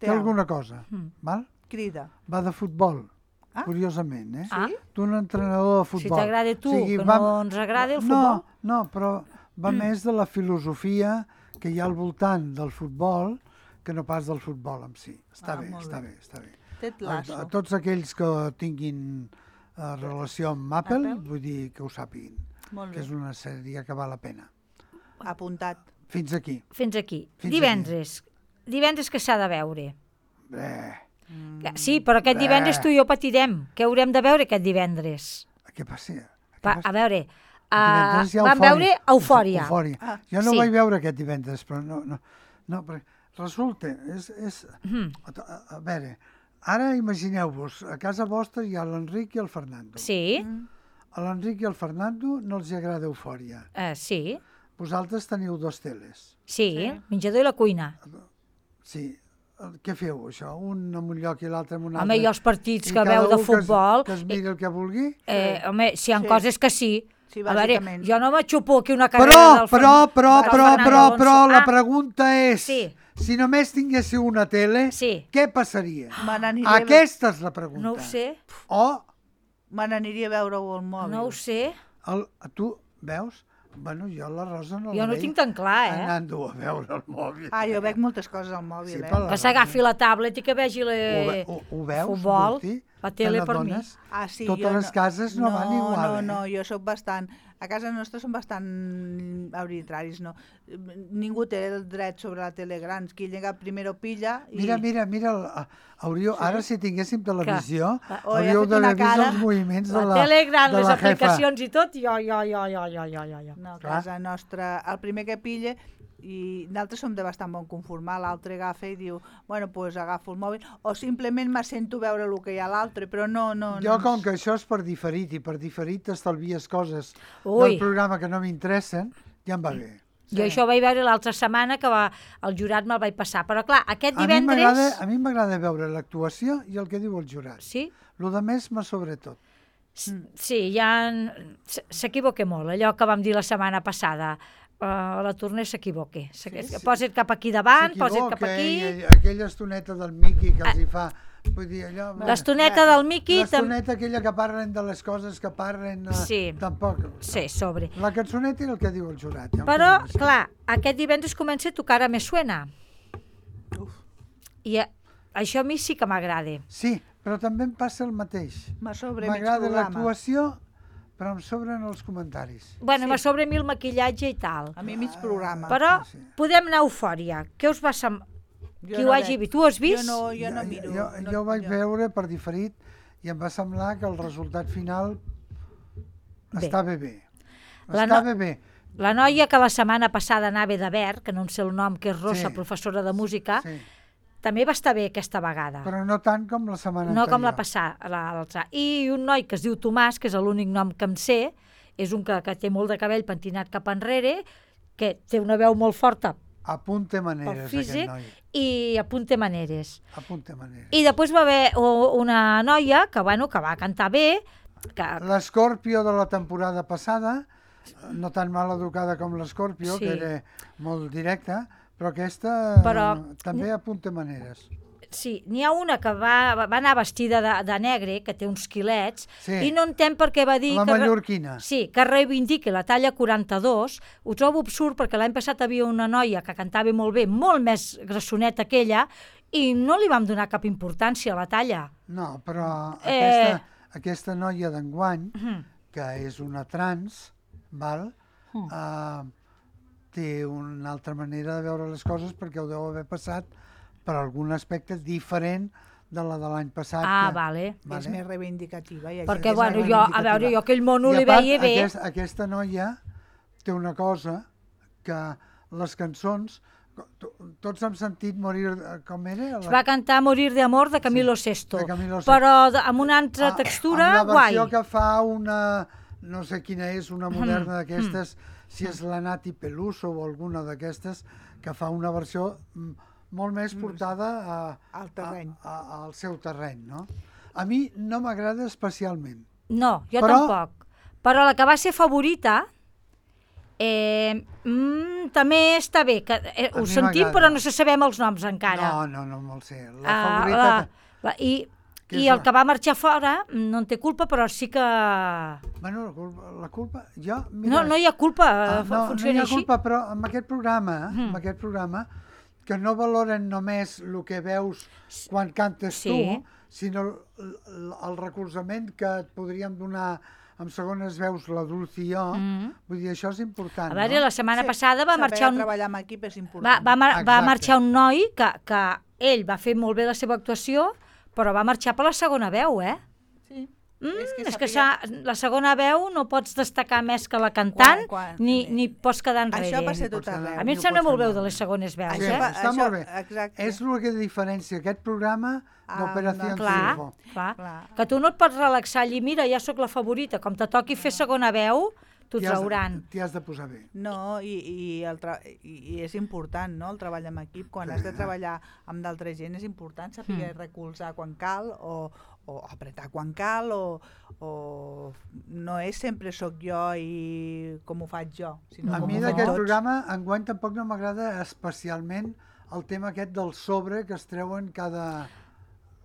Speaker 5: alguna cosa, val?
Speaker 4: Crida.
Speaker 5: Va de futbol,
Speaker 4: Ah.
Speaker 5: curiosament, eh?
Speaker 3: Ah.
Speaker 5: Tu un entrenador de
Speaker 3: Si
Speaker 5: futbol.
Speaker 3: t'agrada tu, que
Speaker 5: va-
Speaker 3: no ens agrada el futbol.
Speaker 5: No, però va més de la filosofia que hi ha al voltant del futbol que no pas del futbol en si. Està bé,
Speaker 4: molt
Speaker 5: està
Speaker 4: bé.
Speaker 5: bé, està bé.
Speaker 4: Ted Lasso.
Speaker 5: A tots aquells que tinguin relació amb Apple,
Speaker 4: Apple?
Speaker 5: vull dir que ho sàpiguin,
Speaker 4: Molt
Speaker 5: que
Speaker 4: bé.
Speaker 5: és una sèrie que val la pena.
Speaker 4: Apuntat.
Speaker 5: Fins aquí.
Speaker 3: Fins aquí.
Speaker 5: Fins
Speaker 3: Divendres. Divendres que s'ha de veure. Sí,
Speaker 5: Mm.
Speaker 3: però aquest divendres tu i jo patirem. Què haurem de veure aquest divendres?
Speaker 5: Què passa?
Speaker 3: A veure,
Speaker 5: Divendres hi ha
Speaker 3: vam veure Eufòria.
Speaker 5: Eufòria.
Speaker 4: Ah,
Speaker 5: Jo no
Speaker 3: sí.
Speaker 5: vaig veure aquest divendres, però no, perquè resulta, a veure, ara imagineu-vos, a casa vostra hi ha l'Enric i el Fernando.
Speaker 3: Sí,
Speaker 5: A l'Enric i el Fernando no els agrada Eufòria.
Speaker 3: sí,
Speaker 5: Vosaltres teniu dos teles.
Speaker 3: sí, menjador i la cuina.
Speaker 5: Sí. Què feu, això? Un en un lloc i l'altre en un altre?
Speaker 3: Home, i els partits
Speaker 5: I
Speaker 3: que
Speaker 5: cada
Speaker 3: veu de
Speaker 5: un
Speaker 3: futbol...
Speaker 5: Que es miri el que vulgui?
Speaker 3: Home, si hi ha
Speaker 4: Sí.
Speaker 3: coses que sí.
Speaker 4: Sí,
Speaker 3: A veure,
Speaker 4: bàsicament.
Speaker 3: jo no m'aixupo aquí una carrera del
Speaker 5: Però,
Speaker 3: Alonso.
Speaker 5: la pregunta és,
Speaker 3: Sí.
Speaker 5: si només tinguéssiu una tele,
Speaker 3: Sí.
Speaker 5: què passaria?
Speaker 4: Me n'aniria a
Speaker 5: Aquesta és la pregunta.
Speaker 3: No ho sé,
Speaker 4: me n'aniria a veure-ho al mòbil.
Speaker 3: no ho sé.
Speaker 5: Tu veus? Bueno, jo la Rosa no la
Speaker 3: Jo no ho
Speaker 5: veig
Speaker 3: tinc tan clar, eh?
Speaker 5: anant-ho a veure al mòbil.
Speaker 4: Ah, jo veig moltes coses al mòbil,
Speaker 5: Sí,
Speaker 4: eh?
Speaker 5: per la
Speaker 3: Que s'agafi la tablet i que vegi
Speaker 5: Ho veus,
Speaker 3: futbol,
Speaker 5: Gusti?
Speaker 3: la tele
Speaker 5: Te
Speaker 3: per mi.
Speaker 5: n'adones?
Speaker 4: Ah, sí,
Speaker 5: Totes
Speaker 4: jo
Speaker 5: les cases no van igual,
Speaker 4: No, jo sóc bastant... A casa nostra són bastant arbitraris, no? Ningú té el dret sobre la tele gran. Qui llega primer ho pilla i...
Speaker 5: Mira, ara si tinguéssim televisió,
Speaker 4: Oh, ja ha
Speaker 5: hauríeu
Speaker 4: fet
Speaker 5: d'haver
Speaker 4: una
Speaker 5: vist
Speaker 4: cara.
Speaker 5: els moviments de
Speaker 3: La
Speaker 5: la
Speaker 3: tele gran,
Speaker 5: de
Speaker 3: les
Speaker 5: la jefa.
Speaker 3: aplicacions i tot, jo.
Speaker 4: No, a
Speaker 5: Clar.
Speaker 4: casa nostra, el primer que pilla, i nosaltres som de bastant bon conformar, l'altre agafa i diu, bueno, doncs agafo el mòbil, o simplement m'assento a veure el que hi ha a l'altre, però no...
Speaker 5: Jo, com que això és per diferit, i per diferit t'estalvies coses
Speaker 3: Ui.
Speaker 5: del programa que no m'interessen, ja em va bé.
Speaker 3: Jo això ho vaig veure l'altra setmana, que el jurat me'l vaig passar. Però clar, aquest divendres...
Speaker 5: A mi m'agrada veure l'actuació i el que diu el jurat.
Speaker 3: Sí?
Speaker 5: Lo de més m'ha sobretot.
Speaker 3: Sí, ja s'equivoca molt, allò que vam dir la setmana passada. La Torner s'equivoca. Posa't cap aquí davant, posa't cap aquí...
Speaker 5: I aquella estoneta del Miqui que els hi fa... Vull dir, allò...
Speaker 3: L'estoneta del Miqui...
Speaker 5: L'estoneta aquella que parlen de les coses que parlen...
Speaker 3: Sí.
Speaker 5: Tampoc.
Speaker 3: Sí, sobre.
Speaker 5: La cançoneta i el que diu el jurat. Ja em
Speaker 3: Però,
Speaker 5: quedo així.
Speaker 3: clar, aquest divendres comença a tocar a Me Suena. I això a mi sí que m'agrada.
Speaker 5: Sí, però també em passa el mateix.
Speaker 4: M'agrada
Speaker 5: M'agrada l'actuació, però em sobren els comentaris.
Speaker 3: Bueno, me sobre a mi el maquillatge i tal.
Speaker 4: A mi mig programa.
Speaker 3: Però
Speaker 5: sí.
Speaker 3: podem anar a Eufòria. Què us va semblar? Qui ho hagi vist? Tu ho has vist?
Speaker 4: Jo no miro.
Speaker 5: Jo ho vaig veure per diferit i em va semblar que el resultat final estava bé. Estava bé.
Speaker 3: La noia que la setmana passada anava de verd, que no en sé el nom, que és Rosa,
Speaker 5: Sí.
Speaker 3: professora de música,
Speaker 5: Sí.
Speaker 3: també va estar bé aquesta vegada.
Speaker 5: Però no tant com la setmana
Speaker 3: No
Speaker 5: anterior.
Speaker 3: com la passada, l'altra. I un noi que es diu Tomàs, que és l'únic nom que em sé, és un que té molt de cabell pentinat cap enrere, que té una veu molt forta
Speaker 5: Apunte
Speaker 3: pel
Speaker 5: maneres,
Speaker 3: físic
Speaker 5: aquest noi.
Speaker 3: i apunta maneres.
Speaker 5: Apunte maneres.
Speaker 3: I després va haver una noia que, bueno, que va cantar bé, que
Speaker 5: L'Escorpio de la temporada passada, no tan mal educada com l'Escorpio,
Speaker 3: Sí.
Speaker 5: que era molt directa, però aquesta
Speaker 3: Però-
Speaker 5: també apunta maneres.
Speaker 3: sí, n'hi ha una que va anar vestida de negre, que té uns quilets,
Speaker 5: Sí.
Speaker 3: i no entenc per què va dir...
Speaker 5: La
Speaker 3: que
Speaker 5: mallorquina.
Speaker 3: Sí, que reivindiqui la talla 42. Ho trobo absurd perquè l'any passat havia una noia que cantava molt bé, molt més grassoneta que ella, i no li vam donar cap importància a la talla.
Speaker 5: No, però
Speaker 3: Eh.
Speaker 5: aquesta noia d'enguany,
Speaker 3: Mhm.
Speaker 5: que és una trans, val? Té una altra manera de veure les coses perquè ho deu haver passat per algun aspecte diferent de la de l'any passat.
Speaker 3: Ah,
Speaker 5: que,
Speaker 3: vale.
Speaker 4: És més reivindicativa. I
Speaker 3: Perquè,
Speaker 5: és
Speaker 3: bueno,
Speaker 5: més
Speaker 3: jo, a veure, jo aquell mono
Speaker 5: I
Speaker 3: li
Speaker 5: a part,
Speaker 3: veia bé.
Speaker 5: Aquesta noia té una cosa que les cançons, tots hem sentit morir, com era?
Speaker 3: Es va cantar Morir de amor de Camilo Sesto,
Speaker 5: de Camilo Sesto.
Speaker 3: però amb una altra textura,
Speaker 5: amb la versió
Speaker 3: guai.
Speaker 5: que fa una, no sé quina és, una moderna d'aquestes, si és la Nati Peluso o alguna d'aquestes, que fa una versió molt més portada al seu terreny, no? A mi no m'agrada especialment.
Speaker 3: No, jo
Speaker 5: Però-
Speaker 3: tampoc. Però la que va ser favorita també està bé, que
Speaker 5: A
Speaker 3: ho
Speaker 5: mi
Speaker 3: sentim
Speaker 5: m'agrada.
Speaker 3: però no se sabem els noms encara.
Speaker 5: No me'l sé. La favorita... que
Speaker 3: I
Speaker 5: és
Speaker 3: el que va marxar fora no en té culpa, però sí que...
Speaker 5: Bueno, la culpa... Jo, mira,
Speaker 3: No hi ha culpa,
Speaker 5: no hi
Speaker 3: funciona
Speaker 5: ha
Speaker 3: així.
Speaker 5: culpa, però amb aquest programa, que no valoren només el que veus quan cantes
Speaker 3: Sí.
Speaker 5: tu, sinó el recolzament que et podríem donar amb segones veus la Dulce i jo, vull dir, això és important,
Speaker 3: A veure, la setmana passada va marxar
Speaker 4: Saber
Speaker 3: un...
Speaker 4: treballar amb equip és important.
Speaker 3: Va
Speaker 5: Exacte.
Speaker 3: marxar un noi que ell va fer molt bé la seva actuació, però va marxar per la segona veu, eh?
Speaker 4: Sí.
Speaker 3: És que la segona veu no pots destacar més que la cantant, ni pots quedar enrere.
Speaker 4: Això passa tot arreu.
Speaker 3: A mi em sembla molt bé de les segones veus,
Speaker 5: Sí, està molt bé.
Speaker 4: Exacte.
Speaker 5: És el que diferencia aquest programa d'Operació Triunfo.
Speaker 3: Clar. Que tu no et pots relaxar allí, mira, ja sóc la favorita, com te toqui fer segona veu, t'ho trauran.
Speaker 5: T'hi has de posar bé.
Speaker 4: No, i és important, no?, el treball en equip. Quan has de treballar amb d'altra gent és important saber recolzar quan cal o apretar quan cal o no és sempre sóc jo i com ho faig jo, sinó
Speaker 5: A
Speaker 4: com
Speaker 5: mi
Speaker 4: ho fem
Speaker 5: d'aquest
Speaker 4: tots.
Speaker 5: programa enguany tampoc no m'agrada especialment el tema aquest del sobre que es treuen cada...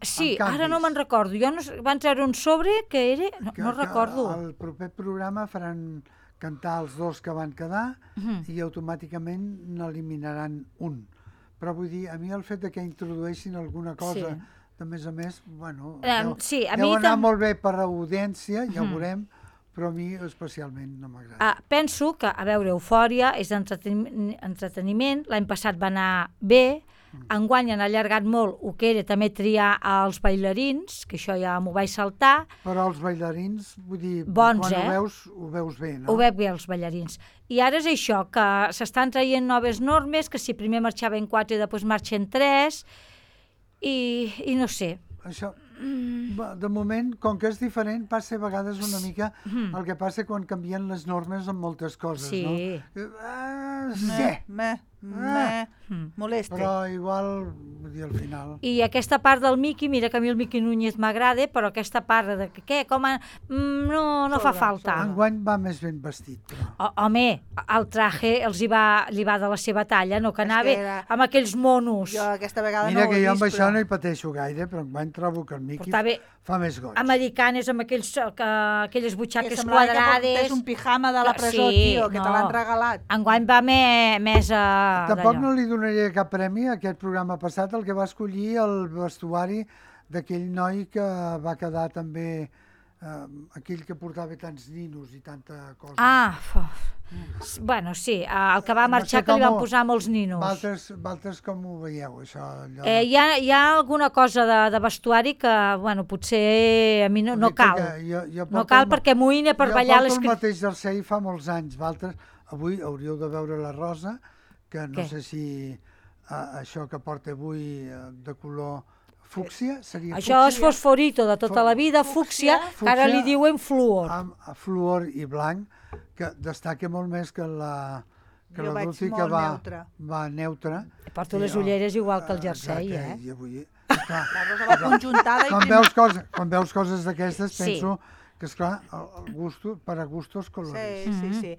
Speaker 3: Sí,
Speaker 5: amb
Speaker 3: ara no
Speaker 5: canvis.
Speaker 3: me'n recordo. Jo van treure un sobre que era... No recordo.
Speaker 5: Al proper programa faran cantar els dos que van quedar i automàticament n'eliminaran un. Però vull dir, a mi el fet de que introdueixin alguna cosa, de més a més, bueno,
Speaker 3: sí, a
Speaker 5: deu
Speaker 3: mi
Speaker 5: anar molt bé per audiència, ja ho veurem, però a mi especialment no m'agrada.
Speaker 3: Penso que, a veure, Eufòria és entreteniment. L'any passat va anar bé. Enguany han allargat molt el que era també triar els bailarins, que això ja m'ho vaig saltar.
Speaker 5: Però els bailarins, vull dir,
Speaker 3: Bons,
Speaker 5: quan ho veus bé, no?
Speaker 3: Ho veig bé, els ballarins. I ara és això, que s'estan traient noves normes, que si primer marxaven 4 i després marxen 3, i no sé.
Speaker 5: Això, de moment, com que és diferent, passa a vegades una mica el que passa quan canvien les normes en moltes coses,
Speaker 3: Sí.
Speaker 5: no?
Speaker 4: Molesta.
Speaker 5: Però igual, vull dir, al final...
Speaker 3: I aquesta part del Miqui, mira que a mi el Miqui Núñez m'agrada, però aquesta part de què, com no fa falta.
Speaker 5: Enguany va més ben vestit, però...
Speaker 3: Home, el traje li va de la seva talla, no que anava amb aquells monos.
Speaker 4: Jo aquesta vegada
Speaker 5: Mira
Speaker 4: no ho he
Speaker 5: que jo
Speaker 4: vist,
Speaker 5: amb això
Speaker 4: però...
Speaker 5: no hi pateixo gaire, però enguany trobo que el Miqui fa més goig.
Speaker 3: Americanes amb aquelles butxaques
Speaker 4: Que semblava
Speaker 3: quadrades.
Speaker 4: que portés un pijama de la presó,
Speaker 3: Sí,
Speaker 4: tio, que te l'han regalat.
Speaker 3: Enguany va més
Speaker 5: Tampoc
Speaker 3: d'allò.
Speaker 5: no li donaria cap premi a aquest programa passat, el que va escollir el vestuari d'aquell noi que va quedar també, aquell que portava tants ninos i tanta cosa.
Speaker 3: Bueno, sí, el que va marxar que li van posar molts ninos.
Speaker 5: Valtres com ho veieu, això?
Speaker 3: Hi ha alguna cosa de vestuari que, bueno, potser a mi no cal. No cal perquè m'oïna per ballar les...
Speaker 5: Jo porto el mateix jersei fa molts anys, Valtres. Avui hauríeu de veure la Rosa, que no sé si això que porta avui de color fúcsia seria fúcsia.
Speaker 3: Això és fosforito de tota la vida, fúcsia, que ara li diuen fluor.
Speaker 5: Amb fluor i blanc, que destaca molt més que la Dulce, que va neutra.
Speaker 3: Porto les ulleres igual que el jersei,
Speaker 5: I avui...
Speaker 4: La Rosa va conjuntada i...
Speaker 5: Quan veus coses d'aquestes, penso que, esclar, per a gustos colores.
Speaker 4: Sí.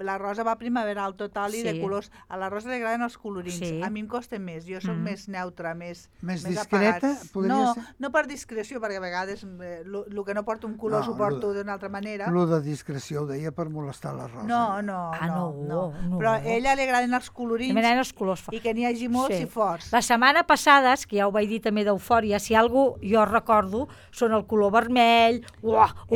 Speaker 4: La Rosa va primaveral total i de colors. A la Rosa li agraden els colorins. A mi em costa més. Jo soc més neutra, més
Speaker 5: discreta, podria ser?
Speaker 4: No per discreció, perquè a vegades el que no porto un color s'ho porto d'una altra manera.
Speaker 5: Lo de discreció ho deia per molestar la Rosa.
Speaker 4: No. Però a ella li agraden els colorins.
Speaker 3: M'agraden els colors.
Speaker 4: I que n'hi hagi molts i forts.
Speaker 3: La setmana passada, que ja ho vaig dir també d'Eufòria, si algú jo recordo, són el color vermell,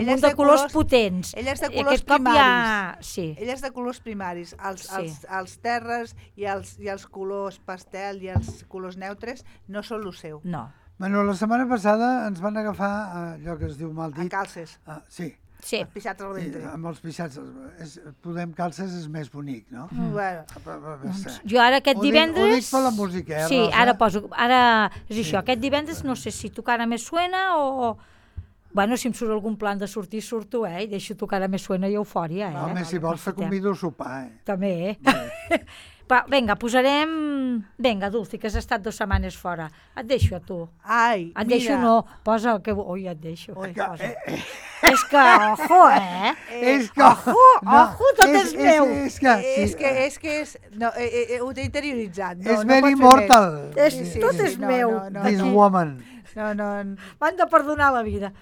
Speaker 3: un munt de colors potents.
Speaker 4: Ella és de colors primaris. Ella és de colors primaris. Els terres i els colors pastel i els colors neutres no són el seu.
Speaker 3: No.
Speaker 5: Bueno, la setmana passada ens van agafar allò que es diu mal dit.
Speaker 4: A calces.
Speaker 5: Sí.
Speaker 4: Els pixats al ventre.
Speaker 5: Amb els pixats. Podem calces és més bonic, no?
Speaker 4: Bueno.
Speaker 3: Jo ara aquest divendres...
Speaker 5: Ho dic per la música,
Speaker 3: Sí, ara poso... És això, aquest divendres no sé si tu cara més suena o... Bueno, si em surt algun plan de sortir, surto, I deixo tocar a Me Suena i Eufòria,
Speaker 5: Home, si vols te convido a sopar,
Speaker 3: També, Va, vinga, posarem... Vinga, Dulci, que has estat 2 setmanes fora. Et deixo a tu.
Speaker 4: Ai,
Speaker 3: Et deixo,
Speaker 4: mira.
Speaker 3: no, posa el que... Ui, et deixo.
Speaker 4: Ui,
Speaker 3: Posa. És que, ojo,
Speaker 5: És que...
Speaker 3: Ojo, tot és meu.
Speaker 5: És que...
Speaker 4: No, ho t'he interioritzat. No,
Speaker 5: És
Speaker 4: no
Speaker 5: very
Speaker 4: pot fer
Speaker 5: mortal.
Speaker 4: més.
Speaker 3: Tot és meu.
Speaker 5: This woman.
Speaker 3: M'han de perdonar la vida.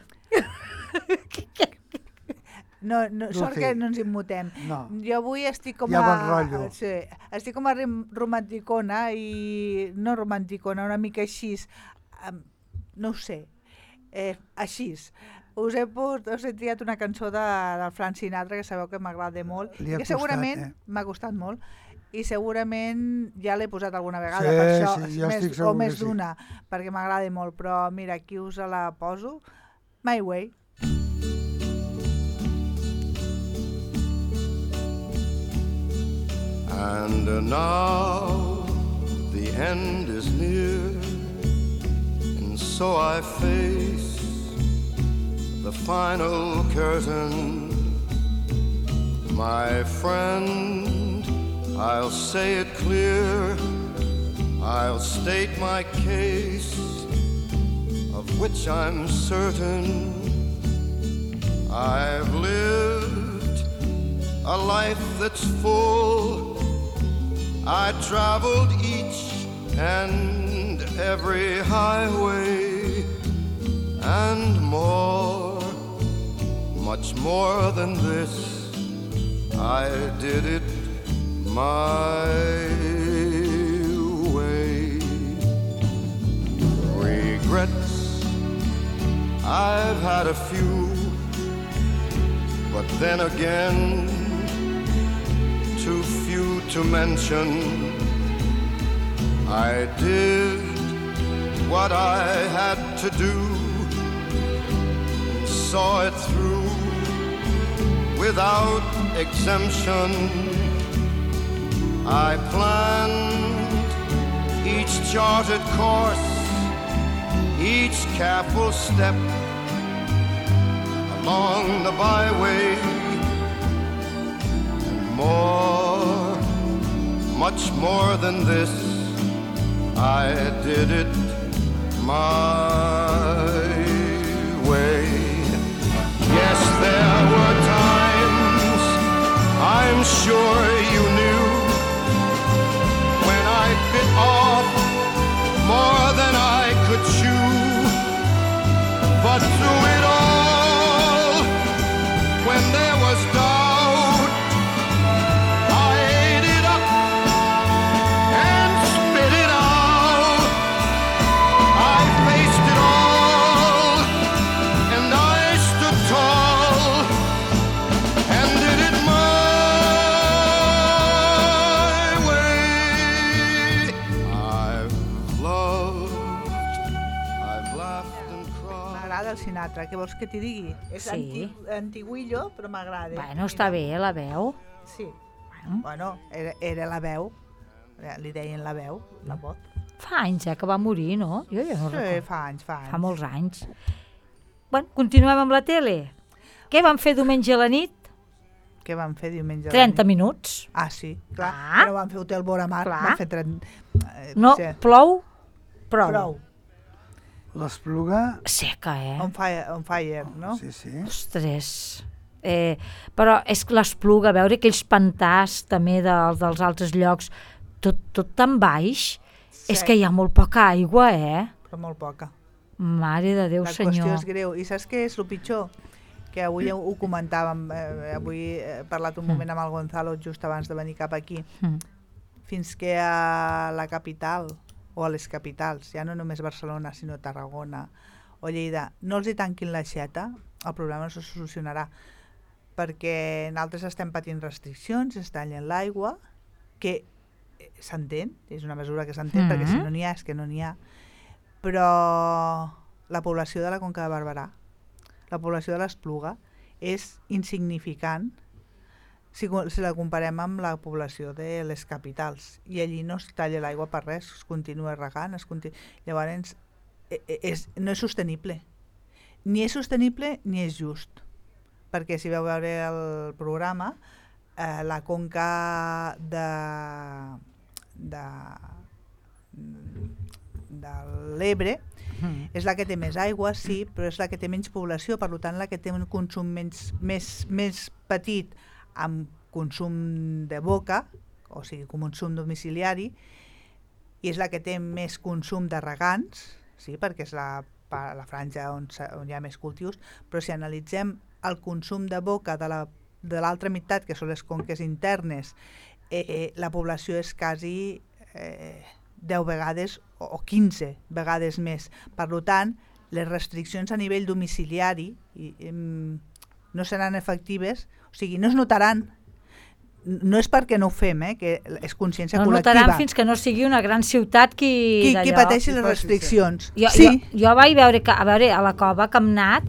Speaker 4: No, sort
Speaker 5: Dulce.
Speaker 4: que no ens immutem.
Speaker 5: No.
Speaker 4: Jo avui estic com
Speaker 5: Hi ha
Speaker 4: a...
Speaker 5: bon rotllo.
Speaker 4: Sí, estic com a romanticona i... No romanticona, una mica així. No ho sé. Així. Us he triat una cançó del Frank Sinatra que sabeu que m'agrada molt.
Speaker 5: Li ha
Speaker 4: que segurament m'ha costat molt. I segurament ja l'he posat alguna vegada,
Speaker 5: Sí,
Speaker 4: per això,
Speaker 5: sí, jo estic segur
Speaker 4: o més
Speaker 5: que sí.
Speaker 4: d'una, perquè m'agrada molt. Però mira, aquí us la poso. My Way.
Speaker 6: And now the end is near, and so I face the final curtain. My friend, I'll say it clear, I'll state my case, of which I'm certain. I've lived a life that's full. I traveled each and every highway and more, much more than this. I did it my way. Regrets, I've had a few, but then again, too few to mention. I did what I had to do, saw it through without exemption. I planned each charted course, each careful step along the byway. More, much more than this, I did it my way. Yes, there were times, I'm sure you knew, when I bit off more than I could chew. But through it all, when there was doubt, I ate it up and spit it out. I faced it all, and I stood tall and did it my way. I've loved, I've laughed and cried.
Speaker 4: M'agrada el Sinatra, què vols que t'hi digui? És
Speaker 3: Sí.
Speaker 4: antiguillo, però m'agrada.
Speaker 3: Bueno, està bé, la veu.
Speaker 4: Sí. Bueno, era la veu. Li deien la veu, la voz.
Speaker 3: Fa anys, que va morir, no? Jo no
Speaker 4: Sí,
Speaker 3: recordo.
Speaker 4: fa anys.
Speaker 3: Fa molts anys. Bueno, continuem amb la tele. Què vam fer diumenge a la nit?
Speaker 4: Què van fer diumenge? a la
Speaker 3: 30
Speaker 4: nit?
Speaker 3: minuts.
Speaker 4: Ah, sí, clar.
Speaker 3: Ah.
Speaker 4: No van fer Hotel Boramar,
Speaker 3: Clar.
Speaker 4: van fer 30...
Speaker 3: No,
Speaker 4: sí.
Speaker 3: plou, prou.
Speaker 4: Prou.
Speaker 5: L'Espluga...
Speaker 3: Seca,
Speaker 4: On fire, no?
Speaker 5: Sí, sí.
Speaker 3: Ostres. Però és que l'Espluga, veure aquells pantars també dels altres llocs, tot tan baix,
Speaker 4: Sí.
Speaker 3: és que hi ha molt poca aigua,
Speaker 4: Però molt poca.
Speaker 3: Mare de Déu,
Speaker 4: La
Speaker 3: senyor.
Speaker 4: qüestió és greu. I saps què és el pitjor? Que avui ho comentàvem, avui he parlat un moment amb el Gonzalo just abans de venir cap aquí. Fins que a la capital, o a les capitals, ja no només Barcelona, sinó Tarragona o Lleida, no els hi tanquin l'aixeta, el problema no se solucionarà. Perquè nosaltres estem patint restriccions, es tallen l'aigua, que s'entén, és una mesura que s'entén, perquè si no n'hi ha és que no n'hi ha, però la població de la Conca de Barberà, la població de l'Espluga, és insignificant si la comparem amb la població de les capitals, i allí no es talla l'aigua per res, es continua regant, llavors no és sostenible. ni és sostenible ni és just. Perquè si veu veure el programa, la conca de l'Ebre és la que té més aigua, sí, però és la que té menys població, per tant la que té un consum més petit amb consum de boca, o sigui, consum domiciliari, i és la que té més consum de regants, sí, perquè és la franja on hi ha més cultius, però si analitzem el consum de boca de l'altra meitat, que són les conques internes, la població és quasi 10 vegades o 15 vegades més. Per tant, les restriccions a nivell domiciliari no seran efectives, o sigui, no es notaran. No és perquè no ho fem, que és consciència col·lectiva.
Speaker 3: No notaran fins que no sigui una gran ciutat qui
Speaker 4: pateixi les restriccions.
Speaker 3: Jo vaig veure que, a la cova que hem anat,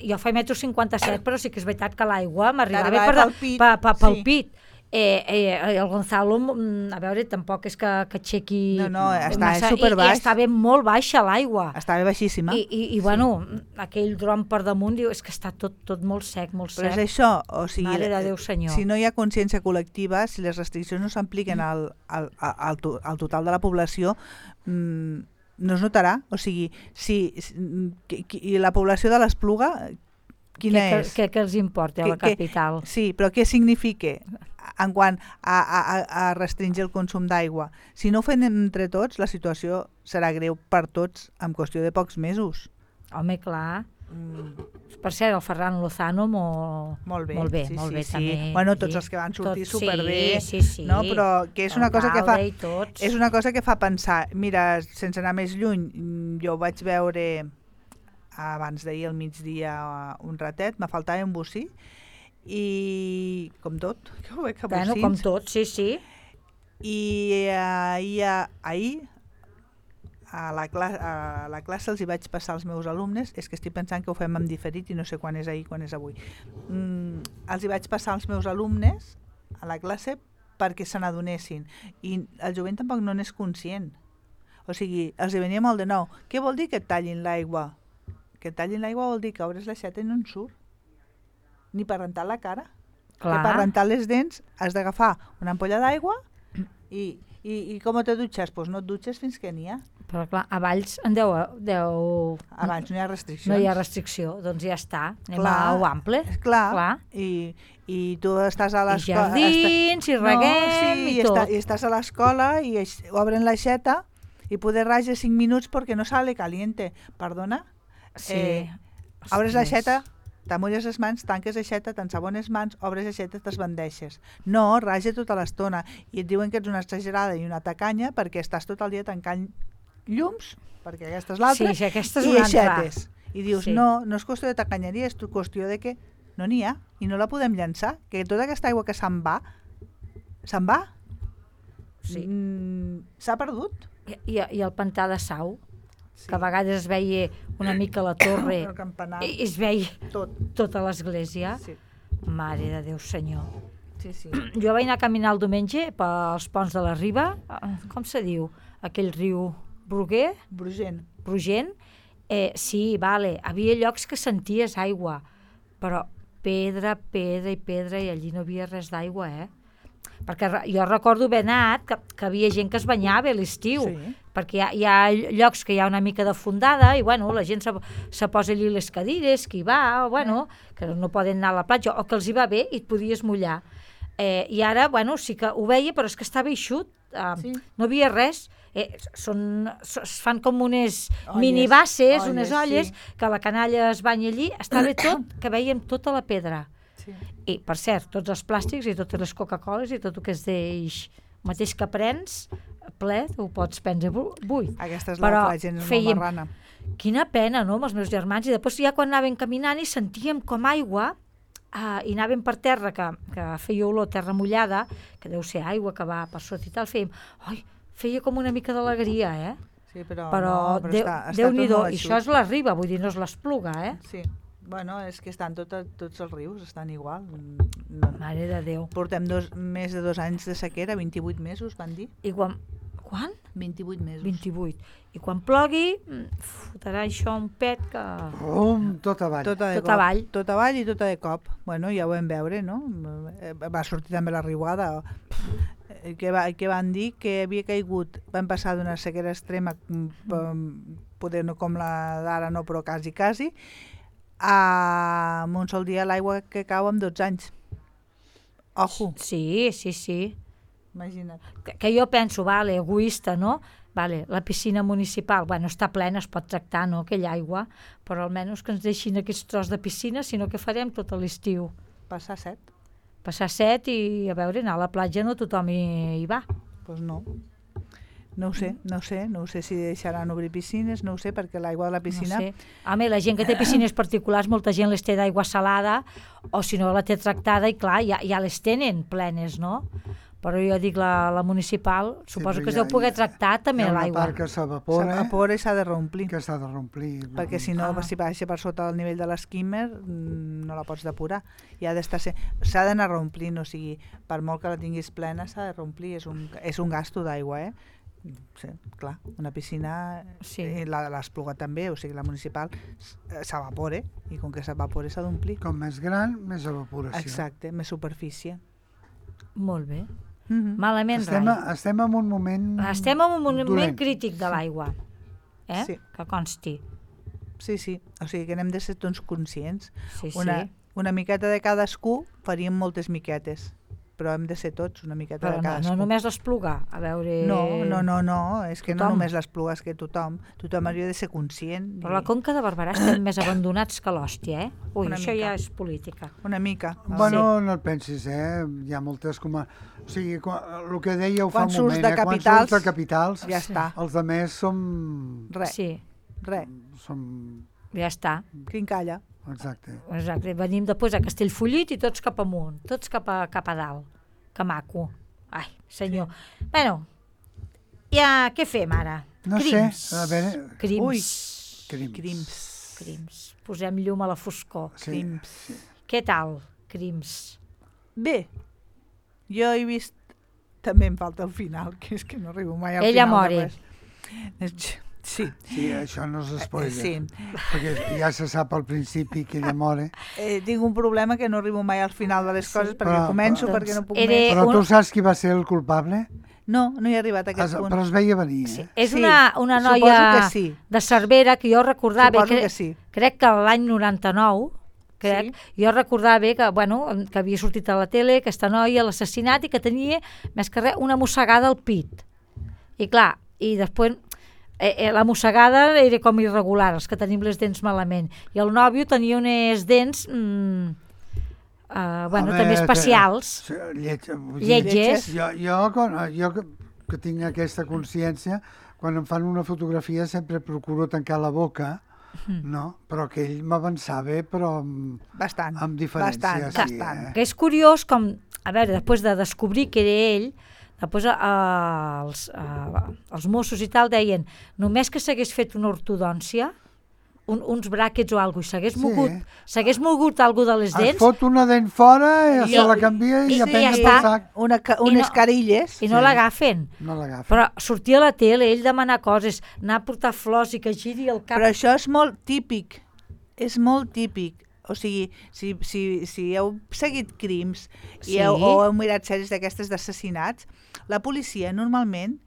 Speaker 3: jo faig 1,57 m, però sí que és veritat que l'aigua m'arribava pel pit. El Gonzalo, a veure, tampoc és que aixequi...
Speaker 4: No, estava superbaix.
Speaker 3: I estava molt baixa l'aigua.
Speaker 4: Estava baixíssima.
Speaker 3: I bueno, aquell dron per damunt diu, és que està tot molt sec, molt sec.
Speaker 4: Però és això, o sigui...
Speaker 3: Mare de Déu Senyor.
Speaker 4: Si no hi ha consciència col·lectiva, si les restriccions no s'apliquen al total de la població, no es notarà. O sigui, i la població de l'Espluga, quina és?
Speaker 3: Què els importa a la capital?
Speaker 4: Sí, però què significa en quant a restringir el consum d'aigua? Si no ho fem entre tots, la situació serà greu per tots en qüestió de pocs mesos.
Speaker 3: Home, clar. Per cert, el Ferran Lozano
Speaker 4: molt bé,
Speaker 3: també.
Speaker 4: Bueno, tots els que van sortir superbé,
Speaker 3: sí.
Speaker 4: no? Però que és una cosa que fa pensar. Mira, sense anar més lluny, jo ho vaig veure abans d'ahir al migdia un ratet, me faltava un bocí, i com tot, que ho veig a bocins.
Speaker 3: Com tot, sí.
Speaker 4: I ahir a la classe els hi vaig passar als meus alumnes, és que estic pensant que ho fem en diferit i no sé quan és ahir, quan és avui. Els hi vaig passar als meus alumnes a la classe perquè se n'adonessin, i el jovent tampoc no n'és conscient. O sigui, els hi venia molt de nou. Què vol dir que et tallin l'aigua? Que et tallin l'aigua vol dir que obres l'aixeta i no en surt. Ni per rentar la cara.
Speaker 3: Clar.
Speaker 4: Que per rentar les dents has d'agafar una ampolla d'aigua i com te dutxes? Doncs no et dutxes fins que n'hi ha.
Speaker 3: Però clar, a Valls en deu...
Speaker 4: A Valls no hi ha restriccions.
Speaker 3: No hi ha restricció, doncs ja està. Anem a ample.
Speaker 4: Clar. I tu estàs a l'escola...
Speaker 3: I jardins, i reguem, i tot.
Speaker 4: I estàs a l'escola i obren l'aixeta i poder rajar 5 minuts perquè no sale caliente. Perdona?
Speaker 3: Sí.
Speaker 4: Obres l'aixeta, t'amolles les mans, tanques l'aixeta, t'ensabones mans, obres l'aixeta, t'esbandeixes. No, raja tota l'estona. I et diuen que ets una exagerada i una tacanya perquè estàs tot el dia tancant llums, perquè aquesta és l'altra,
Speaker 3: sí, aquesta és
Speaker 4: i
Speaker 3: una
Speaker 4: aixetes. I dius, no és qüestió de tacanyeria, és qüestió de que no n'hi ha i no la podem llançar, que tota aquesta aigua que se'n va,
Speaker 3: sí.
Speaker 4: S'ha perdut.
Speaker 3: I el pantà de Sau, sí. Que a vegades es veia una mica la torre
Speaker 4: i
Speaker 3: es veia tota l'església.
Speaker 4: Sí.
Speaker 3: Mare de Déu Senyor.
Speaker 4: Sí.
Speaker 3: Jo vaig anar a caminar el diumenge pels ponts de la Riba, com se diu? Aquell riu Brugent. Sí, vale, havia llocs que senties aigua, però pedra, i allí no havia res d'aigua, Perquè jo recordo haver anat que havia gent que es banyava a l'estiu, sí. Perquè hi ha llocs que hi ha una mica de fondada i bueno, la gent se posa allí les cadires, que hi va, que no poden anar a la platja, o que els hi va bé i et podies mullar. I ara, sí que ho veia, però és que estava eixut, no havia res. Es fan com unes minibasses, unes olles, que la canalla es banya allí, estava tot, que vèiem tota la pedra. Sí. I, per cert, tots els plàstics i totes les Coca-Coles i tot el que es deix, el mateix que prens, ple, ho pots prendre buit.
Speaker 4: Aquesta és la gent molt marrana.
Speaker 3: Quina pena, no?, amb els meus germans. I després ja quan anàvem caminant i sentíem com aigua, i anàvem per terra, que feia olor terra mullada, que deu ser aigua que va per sota i tal, feia com una mica d'alegria,
Speaker 4: Sí, però
Speaker 3: Déu-n'hi-do, i això és la Riba, vull dir, no és l'Espluga,
Speaker 4: Sí, és que estan tots els rius, estan igual.
Speaker 3: Mare de Déu.
Speaker 4: Portem més de 2 anys de sequera, 28 mesos, van dir.
Speaker 3: I quan Quan?
Speaker 4: 28 mesos.
Speaker 3: 28. I quan plogui, fotrà això un pet que...
Speaker 5: Tot avall.
Speaker 4: Tot
Speaker 3: avall.
Speaker 4: Tot avall i tot de cop. Bueno, ja ho vam veure, no? Va sortir també la riuada. Que van dir que havia caigut, van passar d'una sequera extrema, poder no com la d'ara, no, però quasi, a un sol dia l'aigua que cau en 12 anys. Ojo.
Speaker 3: Sí.
Speaker 4: Imagina't.
Speaker 3: Que jo penso, vale, egoista, no? Vale, la piscina municipal, bueno, està plena, es pot tractar, no?, aquella aigua, però almenys que ens deixin aquest tros de piscina, sinó que farem tot l'estiu.
Speaker 4: Passar set.
Speaker 3: Passar set i, a veure, anar a la platja no tothom hi va.
Speaker 4: Doncs no. No ho sé si deixaran obrir piscines, no ho sé, perquè l'aigua de la piscina...
Speaker 3: No sé. Home, la gent que té piscines particulars, molta gent les té d'aigua salada, o si no la té tractada, i clar, ja les tenen plenes, no? Però jo dic, la municipal, suposo que es deu poder tractar també l'aigua.
Speaker 5: Hi ha una part que s'evapora.
Speaker 4: S'evapora i s'ha de reomplir.
Speaker 5: Que s'ha de reomplir.
Speaker 4: Perquè si no, si baixa per sota el nivell de l'esquímer, no la pots depurar. S'ha d'anar reomplint, o sigui, per molt que la tinguis plena, s'ha de reomplir. És un gasto d'aigua, Sí, clar, una piscina, l'Espluga també, o sigui, la municipal s'evapora, i com que s'evapora s'ha d'omplir.
Speaker 5: Com més gran, més evaporació.
Speaker 4: Exacte, més superfície.
Speaker 3: Molt bé. Malament
Speaker 5: estem en un moment
Speaker 3: Estem en un moment
Speaker 5: dolent.
Speaker 3: crític de l'aigua,
Speaker 4: Sí.
Speaker 3: que consti.
Speaker 4: Sí, o sigui que n'hem de ser tots conscients.
Speaker 3: Sí.
Speaker 4: Una miqueta de cadascú faríem moltes miquetes, però hem de ser tots una miqueta de cadascú.
Speaker 3: No només l'Espluga, a veure...
Speaker 4: No, és que
Speaker 3: tothom.
Speaker 4: no només l'Espluga, és que tothom hauria de ser conscient.
Speaker 3: Però la Conca de Barberà estem més abandonats que l'hòstia, Ui,
Speaker 4: Una
Speaker 3: això
Speaker 4: mica.
Speaker 3: ja és política.
Speaker 4: Una mica.
Speaker 5: Bueno, no et pensis, Hi ha moltes com a... O sigui, el que dèieu fa
Speaker 4: Quan
Speaker 5: un
Speaker 4: surts
Speaker 5: moment,
Speaker 4: de
Speaker 5: quan
Speaker 4: capitals,
Speaker 5: surts de capitals,
Speaker 4: ja està.
Speaker 5: els altres som...
Speaker 4: Res,
Speaker 3: Sí, ja està.
Speaker 4: quincalla.
Speaker 5: Exacte.
Speaker 3: Venim després a Castellfollit i tots cap amunt, tots cap a dalt. Que maco. Ai, senyor. Sí. Bueno, ja què fem ara?
Speaker 5: No
Speaker 3: Crims.
Speaker 5: sé, a veure...
Speaker 3: Crims.
Speaker 5: Crims.
Speaker 3: Posem llum a la foscor.
Speaker 5: Sí.
Speaker 3: Què tal, Crims?
Speaker 4: Bé, jo he vist... També em falta el final, que és que no arribo mai al
Speaker 3: Ella
Speaker 4: final.
Speaker 3: mori.
Speaker 4: De res. Sí.
Speaker 5: Sí, això no s'espoila.
Speaker 4: Sí.
Speaker 5: Perquè ja se sap al principi que ella mori.
Speaker 4: Tinc un problema que no arribo mai al final de les coses, perquè començo, perquè no puc més.
Speaker 5: Però tu saps qui va ser el culpable?
Speaker 4: No he arribat a aquest punt.
Speaker 5: Però es veia venir,
Speaker 3: Sí. És una noia
Speaker 4: suposo que sí.
Speaker 3: de Cervera que jo recordava...
Speaker 4: Suposo que sí.
Speaker 3: Crec que l'any 99, jo recordava que havia sortit a la tele aquesta noia, l'assassinat, i que tenia, més que res, una mossegada al pit. I clar, i després... la mossegada era com irregular, els que tenim les dents malament, i el nòvio tenia unes dents també especials, lletges.
Speaker 5: Jo que tinc aquesta consciència, quan em fan una fotografia sempre procuro tancar la boca, no? Però que ell m'avançava, però amb diferència.
Speaker 4: Bastant.
Speaker 3: Que és curiós com, a veure, després de descobrir que era ell, després els Mossos i tal deien, només que s'hagués fet una ortodòncia, uns bràquets o alguna cosa, s'hagués mogut alguna de les dents...
Speaker 5: Es fot una dent fora, se la canvia i ja penja pel sac.
Speaker 4: Unes carilles.
Speaker 3: I no l'agafen.
Speaker 5: No l'agafen.
Speaker 3: Però sortia a la tele, ell demanar coses, anar a portar flors i que giri el cap...
Speaker 4: Però això és molt típic. És molt típic. O sigui, si heu seguit crims o heu mirat sèries d'aquestes d'assassinats, la policia normalment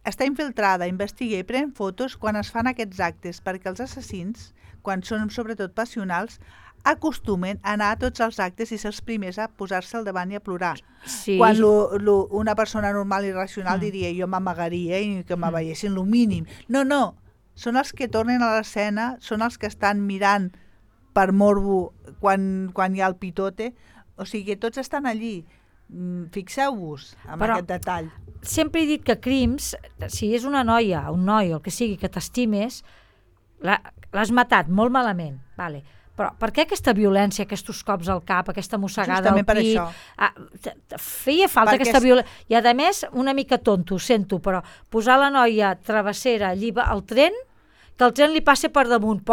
Speaker 4: està infiltrada, investiga i pren fotos quan es fan aquests actes, perquè els assassins, quan són sobretot passionals, acostumen a anar a tots els actes i ser els primers a posar-se al davant i a plorar.
Speaker 3: Sí.
Speaker 4: Quan una persona normal i racional diria jo m'amagaria i que me veiessin lo mínim. No, són els que tornen a l'escena, són els que estan mirant per morbo quan hi ha el pitote, o sigui, tots estan allí. Fixeu-vos en aquest detall.
Speaker 3: Sempre he dit que crims, si és una noia, un noi, el que sigui, que t'estimes, l'has matat molt malament, vale. Però per què aquesta violència, aquests cops al cap, aquesta mossegada al pit?
Speaker 4: Justament per això.
Speaker 3: Feia falta aquesta violència. I a més, una mica tonto, ho sento, però posar la noia travessera allí al tren, que el tren li passi per damunt,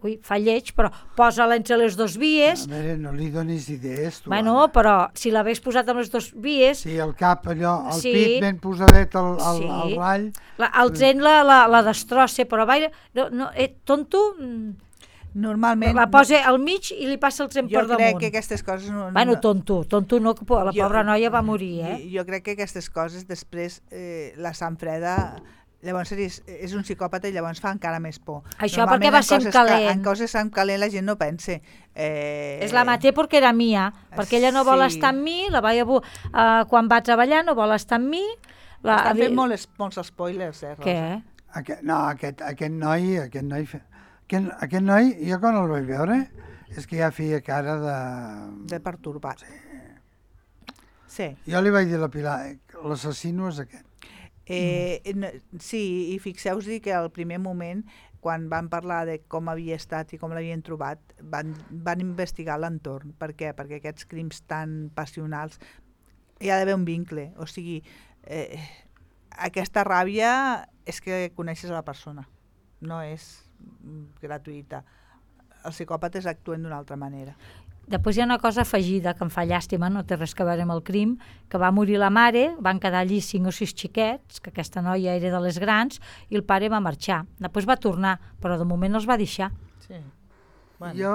Speaker 3: ui, fa lleig, però posa-la entre les dues vies.
Speaker 5: A veure, no li donis idees, tu.
Speaker 3: Bueno,
Speaker 5: home.
Speaker 3: però si l'hagués posat amb les dues vies,
Speaker 5: Sí, el cap allò, el
Speaker 3: Sí.
Speaker 5: pit ben posadet al
Speaker 3: Sí.
Speaker 5: rall.
Speaker 3: el tren la destrossa, però vaja, tonto,
Speaker 4: Normalment...
Speaker 3: la posa al mig i li passa el tren
Speaker 4: Jo
Speaker 3: per
Speaker 4: crec
Speaker 3: damunt.
Speaker 4: que aquestes coses... No,
Speaker 3: Bueno, tonto no, que la
Speaker 4: Jo-
Speaker 3: pobra noia va morir,
Speaker 4: Jo crec que aquestes coses després la sang freda... Llavors és un psicòpata i llavors fa encara més por.
Speaker 3: Això
Speaker 4: Normalment
Speaker 3: perquè va
Speaker 4: en
Speaker 3: ser en
Speaker 4: coses
Speaker 3: calent.
Speaker 4: En coses sang calent la gent no pensa.
Speaker 3: És la maté perquè era mia, perquè ella no vol
Speaker 4: Sí.
Speaker 3: estar amb mi, la vaig quan va treballar no vol estar amb mi.
Speaker 4: Estan fent molts spoilers, Rosa?
Speaker 3: Què?
Speaker 5: Aquest noi, aquest noi, jo quan el vaig veure, és que ja feia cara de...
Speaker 4: De pertorbat. Sí.
Speaker 5: Jo li vaig dir a la Pilar, l'assassino és aquest.
Speaker 4: Sí, i fixeu-vos que al primer moment, quan van parlar de com havia estat i com l'havien trobat, van investigar l'entorn. Per què? Perquè aquests crims tan passionals hi ha d'haver un vincle. O sigui, aquesta ràbia és que coneixes a la persona, no és gratuïta. Els psicòpates actuen d'una altra manera.
Speaker 3: Després hi ha una cosa afegida que em fa llàstima, no té res a veure amb el crim, que va morir la mare, van quedar allí 5 o 6 xiquets, que aquesta noia era de les grans, i el pare va marxar. Després va tornar, però de moment els va deixar.
Speaker 4: Sí.
Speaker 5: Jo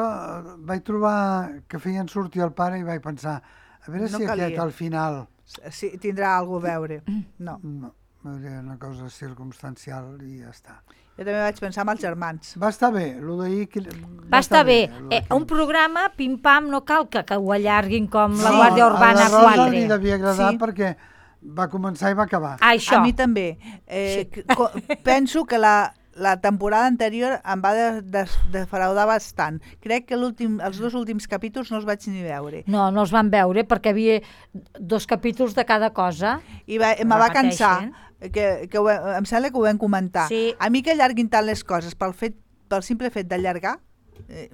Speaker 5: vaig trobar que feien sortir el pare i vaig pensar, a veure
Speaker 4: No
Speaker 5: si
Speaker 4: calia.
Speaker 5: aquest al final...
Speaker 4: Sí, tindrà alguna a veure. No.
Speaker 5: No, era una cosa circumstancial i ja està.
Speaker 4: Jo també vaig pensar en els germans.
Speaker 5: Va estar bé, el d'ahir...
Speaker 3: Va estar bé.
Speaker 5: lo d'aquí.
Speaker 3: Un programa, pim-pam, no cal que ho allarguin com la
Speaker 5: No,
Speaker 3: Guàrdia Urbana
Speaker 5: a la Rosa
Speaker 3: 4.
Speaker 5: li devia agradar
Speaker 4: Sí.
Speaker 5: perquè va començar i va acabar.
Speaker 3: Això.
Speaker 4: A mi també. Penso que la temporada anterior em va defraudar bastant. Crec que els 2 últims capítols no els vaig ni veure.
Speaker 3: No els van veure perquè havia 2 capítols de cada cosa.
Speaker 4: I me va cansar.
Speaker 3: Repeteixen.
Speaker 4: Em sembla que ho vam comentar.
Speaker 3: Sí.
Speaker 4: A mi que allarguin tant les coses pel simple fet d'allargar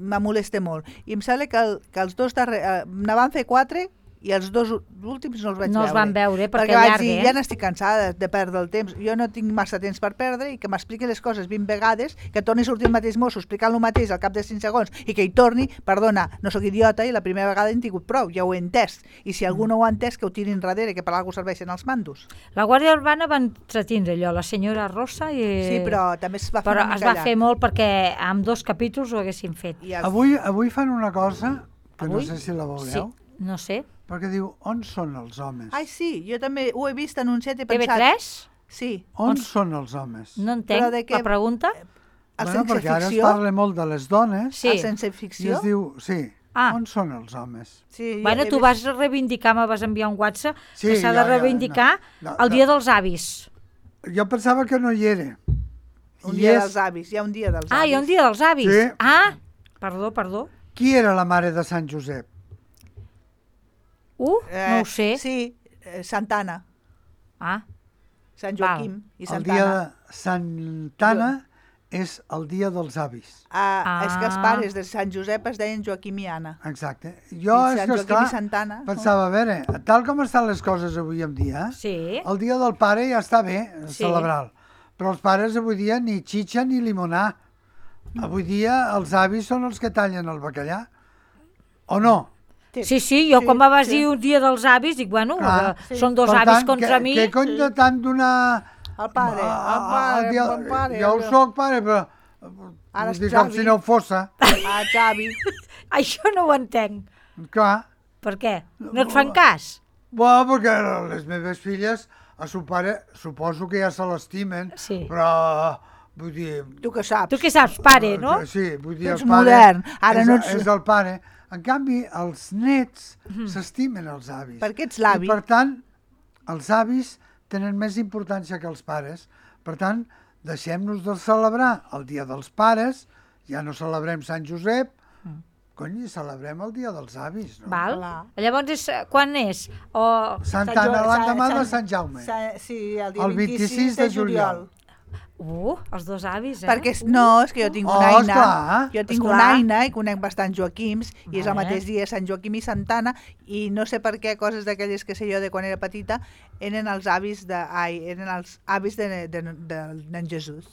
Speaker 4: me molesta molt. I em sembla que els 2 darrers... ne van fer 4 i els 2 últims no els vaig veure.
Speaker 3: No els van veure perquè
Speaker 4: vaig
Speaker 3: allarga,
Speaker 4: dir, ja n'estic cansada de perdre el temps. Jo no tinc massa temps per perdre i que m'expliqui les coses 20 vegades, que torni a sortir el mateix mosso explicant el mateix al cap de 5 segons i que hi torni, perdona, no sóc idiota i la primera vegada he tingut prou, ja ho he entès. I si algú no ho ha entès, que ho tirin darrere, que per alguna cosa serveixen els mandos.
Speaker 3: La Guàrdia Urbana va entretindre allò, la senyora Rosa i...
Speaker 4: Sí, però també es va fer
Speaker 3: Però
Speaker 4: una
Speaker 3: es
Speaker 4: mica
Speaker 3: va
Speaker 4: llarg.
Speaker 3: fer molt perquè amb 2 capítols ho haguessin fet.
Speaker 4: I
Speaker 5: Avui fan una cosa que
Speaker 3: Avui?
Speaker 5: no sé si la veureu,
Speaker 3: Sí, no sé.
Speaker 5: perquè diu, on són els homes?
Speaker 4: Ai, sí, jo també ho he vist anunciat i he pensat...
Speaker 3: TV3?
Speaker 4: Sí.
Speaker 5: On són els homes?
Speaker 3: No
Speaker 4: Però
Speaker 3: entenc
Speaker 4: de què-
Speaker 3: la pregunta.
Speaker 4: El
Speaker 5: Bueno,
Speaker 4: sense
Speaker 5: perquè ara es
Speaker 4: ficció...
Speaker 5: parla molt de les dones
Speaker 3: Sí.
Speaker 4: El sense
Speaker 5: i
Speaker 4: ficció...
Speaker 5: es diu, sí,
Speaker 3: Ah.
Speaker 5: on són els homes?
Speaker 4: Sí,
Speaker 3: Bueno,
Speaker 4: he
Speaker 3: tu
Speaker 4: vist-
Speaker 3: vas reivindicar, me vas enviar un WhatsApp,
Speaker 5: Sí,
Speaker 3: que s'ha de
Speaker 5: ja,
Speaker 3: reivindicar
Speaker 5: no,
Speaker 3: el dia dels avis.
Speaker 5: Jo pensava que no hi era.
Speaker 4: Un
Speaker 5: I
Speaker 4: dia
Speaker 5: és-
Speaker 4: dels avis, hi ha un dia dels avis.
Speaker 3: Ah, hi ha un dia dels avis.
Speaker 5: Sí.
Speaker 3: Ah, perdó.
Speaker 5: Qui era la mare de Sant Josep?
Speaker 3: No ho sé.
Speaker 4: Sí, Santana,
Speaker 3: Ah,
Speaker 4: Sant Joaquim i
Speaker 5: El
Speaker 4: Santana.
Speaker 5: dia de Santana és el dia dels avis.
Speaker 4: És que els
Speaker 3: Ah.
Speaker 4: pares de Sant Josep es deien Joaquim i Anna.
Speaker 5: Exacte. Jo,
Speaker 4: I
Speaker 5: és
Speaker 4: Sant
Speaker 5: que,
Speaker 4: Joaquim
Speaker 5: esclar,
Speaker 4: i Santana.
Speaker 5: pensava, a veure, tal com estan les coses avui en dia,
Speaker 3: sí.
Speaker 5: el dia del pare ja està bé
Speaker 3: Sí.
Speaker 5: celebrar-lo, però els pares avui dia ni xitxa ni limonar. Avui dia els avis són els que tallen el bacallà. O no?
Speaker 3: Sí, jo quan me vas dir un dia dels avis, dic, bueno,
Speaker 5: Clar.
Speaker 3: són 2
Speaker 5: Per
Speaker 3: avis
Speaker 5: tant,
Speaker 3: contra mi.
Speaker 5: Què cony de tant donar...
Speaker 4: El pare, el pare.
Speaker 5: Jo ho soc, pare, però...
Speaker 4: Ara
Speaker 5: Vull
Speaker 4: és
Speaker 5: dir, com
Speaker 4: Xavi.
Speaker 5: si no ho fossa.
Speaker 4: Ah, Xavi.
Speaker 3: Això no ho entenc.
Speaker 5: Clar.
Speaker 3: Per què? No et fan cas?
Speaker 5: Bueno, perquè les meves filles, a son pare, suposo que ja se l'estimen,
Speaker 3: Sí.
Speaker 5: però, vull dir...
Speaker 4: Tu què saps?
Speaker 3: Tu què saps, pare, no?
Speaker 5: Sí, vull dir,
Speaker 4: Tu ets
Speaker 5: el pare
Speaker 4: modern, ara
Speaker 5: és,
Speaker 4: no ets-
Speaker 5: és el pare. En canvi, els nets s'estimen els avis.
Speaker 4: Perquè ets l'avi.
Speaker 5: I, per tant, els avis tenen més importància que els pares. Per tant, deixem-nos de celebrar el dia dels pares, ja no celebrem Sant Josep, cony, celebrem el dia dels avis, no?
Speaker 3: Val?
Speaker 4: Clar.
Speaker 3: Llavors, quan és? O...
Speaker 5: Santa Anna, l'endemà de Sant Jaume.
Speaker 4: Sí, el dia
Speaker 5: El 26 de juliol.
Speaker 3: Els dos avis,
Speaker 4: Perquè, no, és que jo tinc una Aina,
Speaker 5: esclar.
Speaker 4: jo tinc una Aina i conec bastant Joaquims, i és el mateix dia Sant Joaquim i Santa Anna, i no sé per què, coses d'aquelles que sé jo de quan era petita, eren els avis del nen Jesús.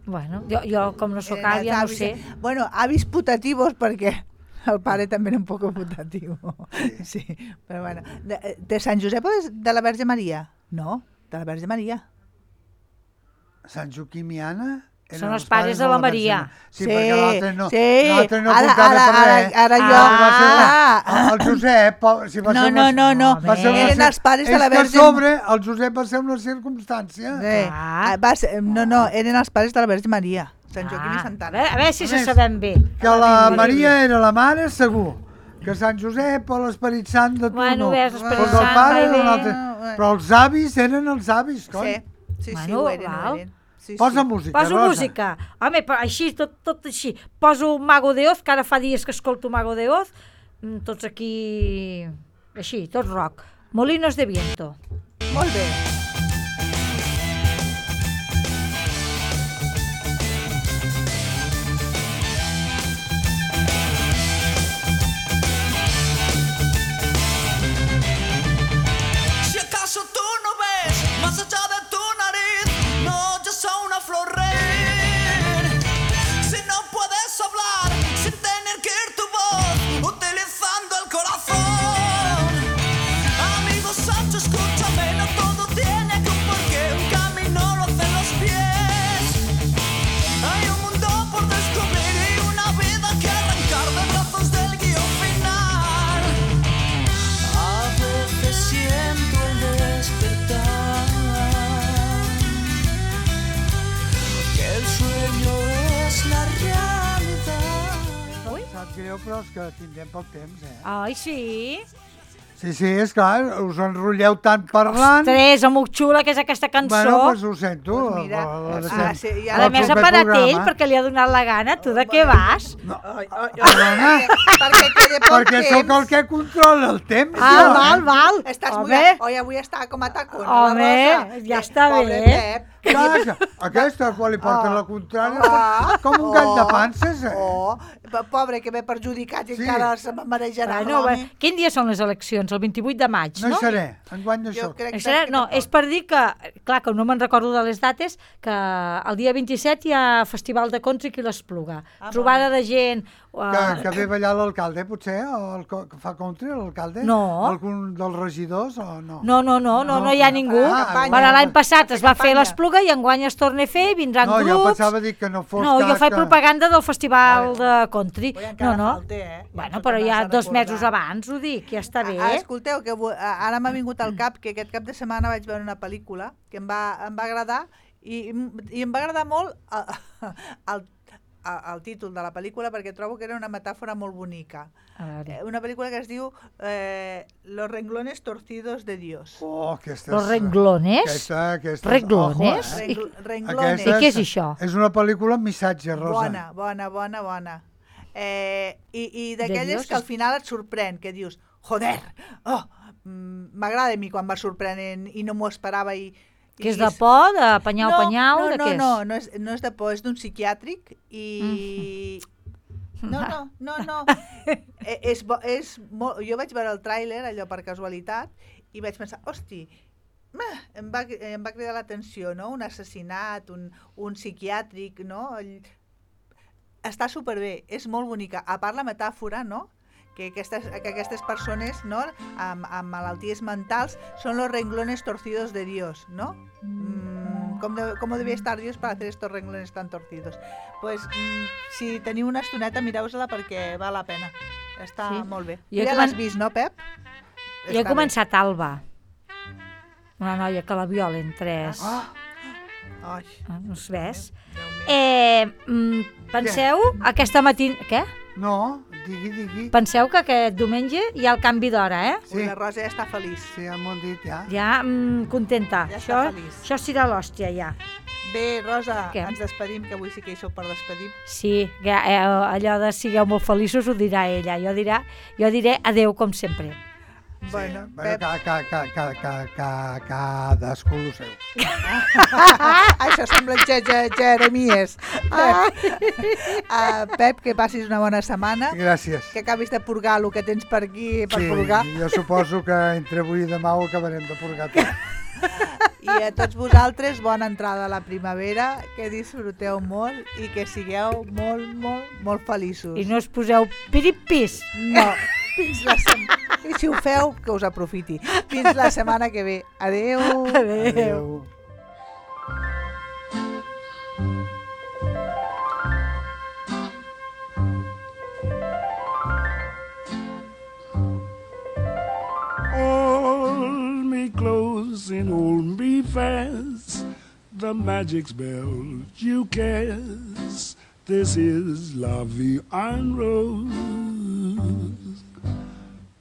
Speaker 3: Bueno, jo com no sóc àvia no ho sé.
Speaker 4: Bueno, avis putativos, perquè el pare també era un poc putatiu. Sí, però bueno. De Sant Josep o de la Verge Maria? No, de la Verge Maria.
Speaker 5: Sant Joaquim i Anna
Speaker 3: són els pares de la Maria.
Speaker 5: Sí, perquè l'altre no
Speaker 4: ara
Speaker 5: comptava per res.
Speaker 4: Ara jo...
Speaker 5: El Josep...
Speaker 4: No. Eren els pares de la Verge...
Speaker 5: És que a sobre el Josep va ser una circumstància.
Speaker 4: Eren els pares de la Verge Maria. Sant Joaquim i Santa Anna.
Speaker 3: A veure si se sabem bé.
Speaker 5: Que la Maria era la mare, segur. Que Sant Josep o l'Esperit Sant de tu no.
Speaker 3: Bueno, ves, l'Esperit
Speaker 5: Sant, el pare era un
Speaker 3: Sant,
Speaker 5: altre. Però els avis eren els avis, coi.
Speaker 4: Sí,
Speaker 3: Bueno,
Speaker 4: ho eren.
Speaker 5: Posa música,
Speaker 3: Poso
Speaker 5: Rosa.
Speaker 3: música. Home, però així, tot així. Poso Mago de Oz, que ara fa dies que escolto Mago de Oz. Tots aquí... Així, tot rock. Molinos de Viento.
Speaker 4: Molt bé.
Speaker 7: Si acaso tú no ves más allá de tu nariz, no, yo soy una flor rey. Si no puedes hablar sin tener que ir tu voz, utilizando el corazón. Amigo Sancho, escúchame, no todo tiene que un porqué, un camino lo hacen los pies. Hay un mundo por descubrir y una vida que arrancar de brazos del guión final. A veces siento el despertar que el sueño es la realidad.
Speaker 5: Sap greu, però és que tindrem poc temps,
Speaker 3: Ai, sí?
Speaker 5: Sí, és clar, us enrotlleu tant parlant.
Speaker 3: Ostres, amb xula que és aquesta cançó.
Speaker 5: Bueno, doncs ho sento.
Speaker 4: Pues mira,
Speaker 3: A més ha parat ell perquè li ha donat la gana. Tu de què vas?
Speaker 5: Perdona, perquè sóc el que controla el temps.
Speaker 3: Val.
Speaker 4: Estàs
Speaker 3: Home.
Speaker 4: mullat. Oi, avui està com a tacón.
Speaker 3: Home, ja està
Speaker 4: Pobre
Speaker 3: bé.
Speaker 4: Pep.
Speaker 5: Clar, aquesta, quan li porta la contrària, com un gall de panses.
Speaker 4: Pobre, que ve perjudicat i
Speaker 5: Sí.
Speaker 4: encara se marejarà.
Speaker 3: Bueno, quin dia són les eleccions? El 28 de maig,
Speaker 5: No
Speaker 3: no?
Speaker 5: hi seré, enguany no
Speaker 4: Jo
Speaker 5: soc.
Speaker 4: crec
Speaker 3: No, és per dir que, clar, que no me'n recordo de les dates, que el dia 27 hi ha Festival de Conts i qui l'Espluga. Trobada de gent...
Speaker 5: Que ve ballar l'alcalde, potser? O el que fa country, l'alcalde?
Speaker 3: No.
Speaker 5: Algun dels regidors o no?
Speaker 3: No hi ha ningú.
Speaker 5: campanya.
Speaker 3: Bueno, l'any passat es va fer
Speaker 4: campanya.
Speaker 3: l'Espluga i enguany es torna a fer, vindran
Speaker 5: No, jo
Speaker 3: grups...
Speaker 5: pensava dir que no fos
Speaker 3: No, jo
Speaker 5: cas
Speaker 3: faig
Speaker 5: que...
Speaker 3: propaganda del Festival de Country.
Speaker 4: Oi, encara
Speaker 3: No.
Speaker 4: falta,
Speaker 3: Bueno,
Speaker 4: Ens ho
Speaker 3: però ja
Speaker 4: tornes a
Speaker 3: 2
Speaker 4: recordar.
Speaker 3: mesos abans, ho dic, ja està bé.
Speaker 4: Escolteu, que ara m'ha vingut al cap que aquest cap de setmana vaig veure una pel·lícula que em va agradar i em va agradar molt el títol de la pel·lícula perquè trobo que era una metàfora molt bonica.
Speaker 3: A veure.
Speaker 4: Una pel·lícula que es diu Los renglones torcidos de Dios.
Speaker 5: Oh, aquesta
Speaker 3: Los renglones?
Speaker 5: Aquesta
Speaker 3: Renglones?
Speaker 5: Ojo,
Speaker 4: Renglones.
Speaker 3: I què és això?
Speaker 5: És una pel·lícula amb missatge, Rosa.
Speaker 4: Bona. I
Speaker 3: De
Speaker 4: d'aquelles
Speaker 3: Dios
Speaker 4: que al final et sorprèn, que dius, joder, m'agrada a mi quan va sorprenent i no m'ho esperava
Speaker 3: Que és de por, de penyau, de què és?
Speaker 4: No és de por, és d'un psiquiàtric i... No. És molt... Jo vaig veure el tràiler, allò per casualitat, i vaig pensar, hosti, em va cridar l'atenció, no? Un assassinat, un psiquiàtric, no? Està superbé, és molt bonica. A part la metàfora, no? Que aquestes persones, no? Amb malalties mentals són los renglones torcidos de Dios, ¿no? ¿Cómo debía estar Dios para hacer estos renglones tan torcidos? Pues si teniu una estoneta, mireu-la perquè val la pena. Està molt bé. Ja l'has vist, no, Pep?
Speaker 3: Jo he començat Alba, una noia que la violen 3. No es ves? Penseu, aquesta matina... Què?
Speaker 5: No, digui.
Speaker 3: Penseu que aquest diumenge hi ha el canvi d'hora,
Speaker 4: Sí. La Rosa ja està feliç.
Speaker 5: Sí, ja m'ho han dit, ja.
Speaker 3: Ja, contenta.
Speaker 4: Ja està feliç.
Speaker 3: Això serà l'hòstia, ja.
Speaker 4: Bé, Rosa,
Speaker 3: Què?
Speaker 4: ens despedim, que avui sí que hi sou per despedir.
Speaker 3: Sí, allò de sigueu molt feliços ho dirà ella. Jo diré adeu com sempre.
Speaker 4: Bueno,
Speaker 5: Bueno,
Speaker 4: Pep...
Speaker 5: cadascú el seu.
Speaker 4: Això sembla Jeremies. Pep, que passis una bona setmana.
Speaker 5: Gràcies.
Speaker 4: Que acabis de purgar el que tens per aquí per purgar.
Speaker 5: Jo suposo que entre avui i demà ho acabarem de purgar tot.
Speaker 4: I a tots vosaltres, bona entrada a la primavera, que disfruteu molt i que sigueu molt, molt, molt feliços.
Speaker 3: I no us poseu piripis.
Speaker 4: No, fins la setmana... I si ho feu, que us aprofiti. Fins la setmana que ve. Adeu.
Speaker 5: Adéu.
Speaker 8: Hold me close and hold me fast. The magic spell you cast. This is La Vie en Rose.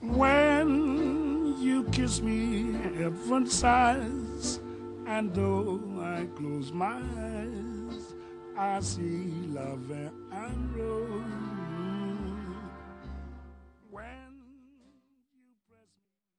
Speaker 8: When you kiss me, heaven sighs, and though I close my eyes, I see La Vie en Rose.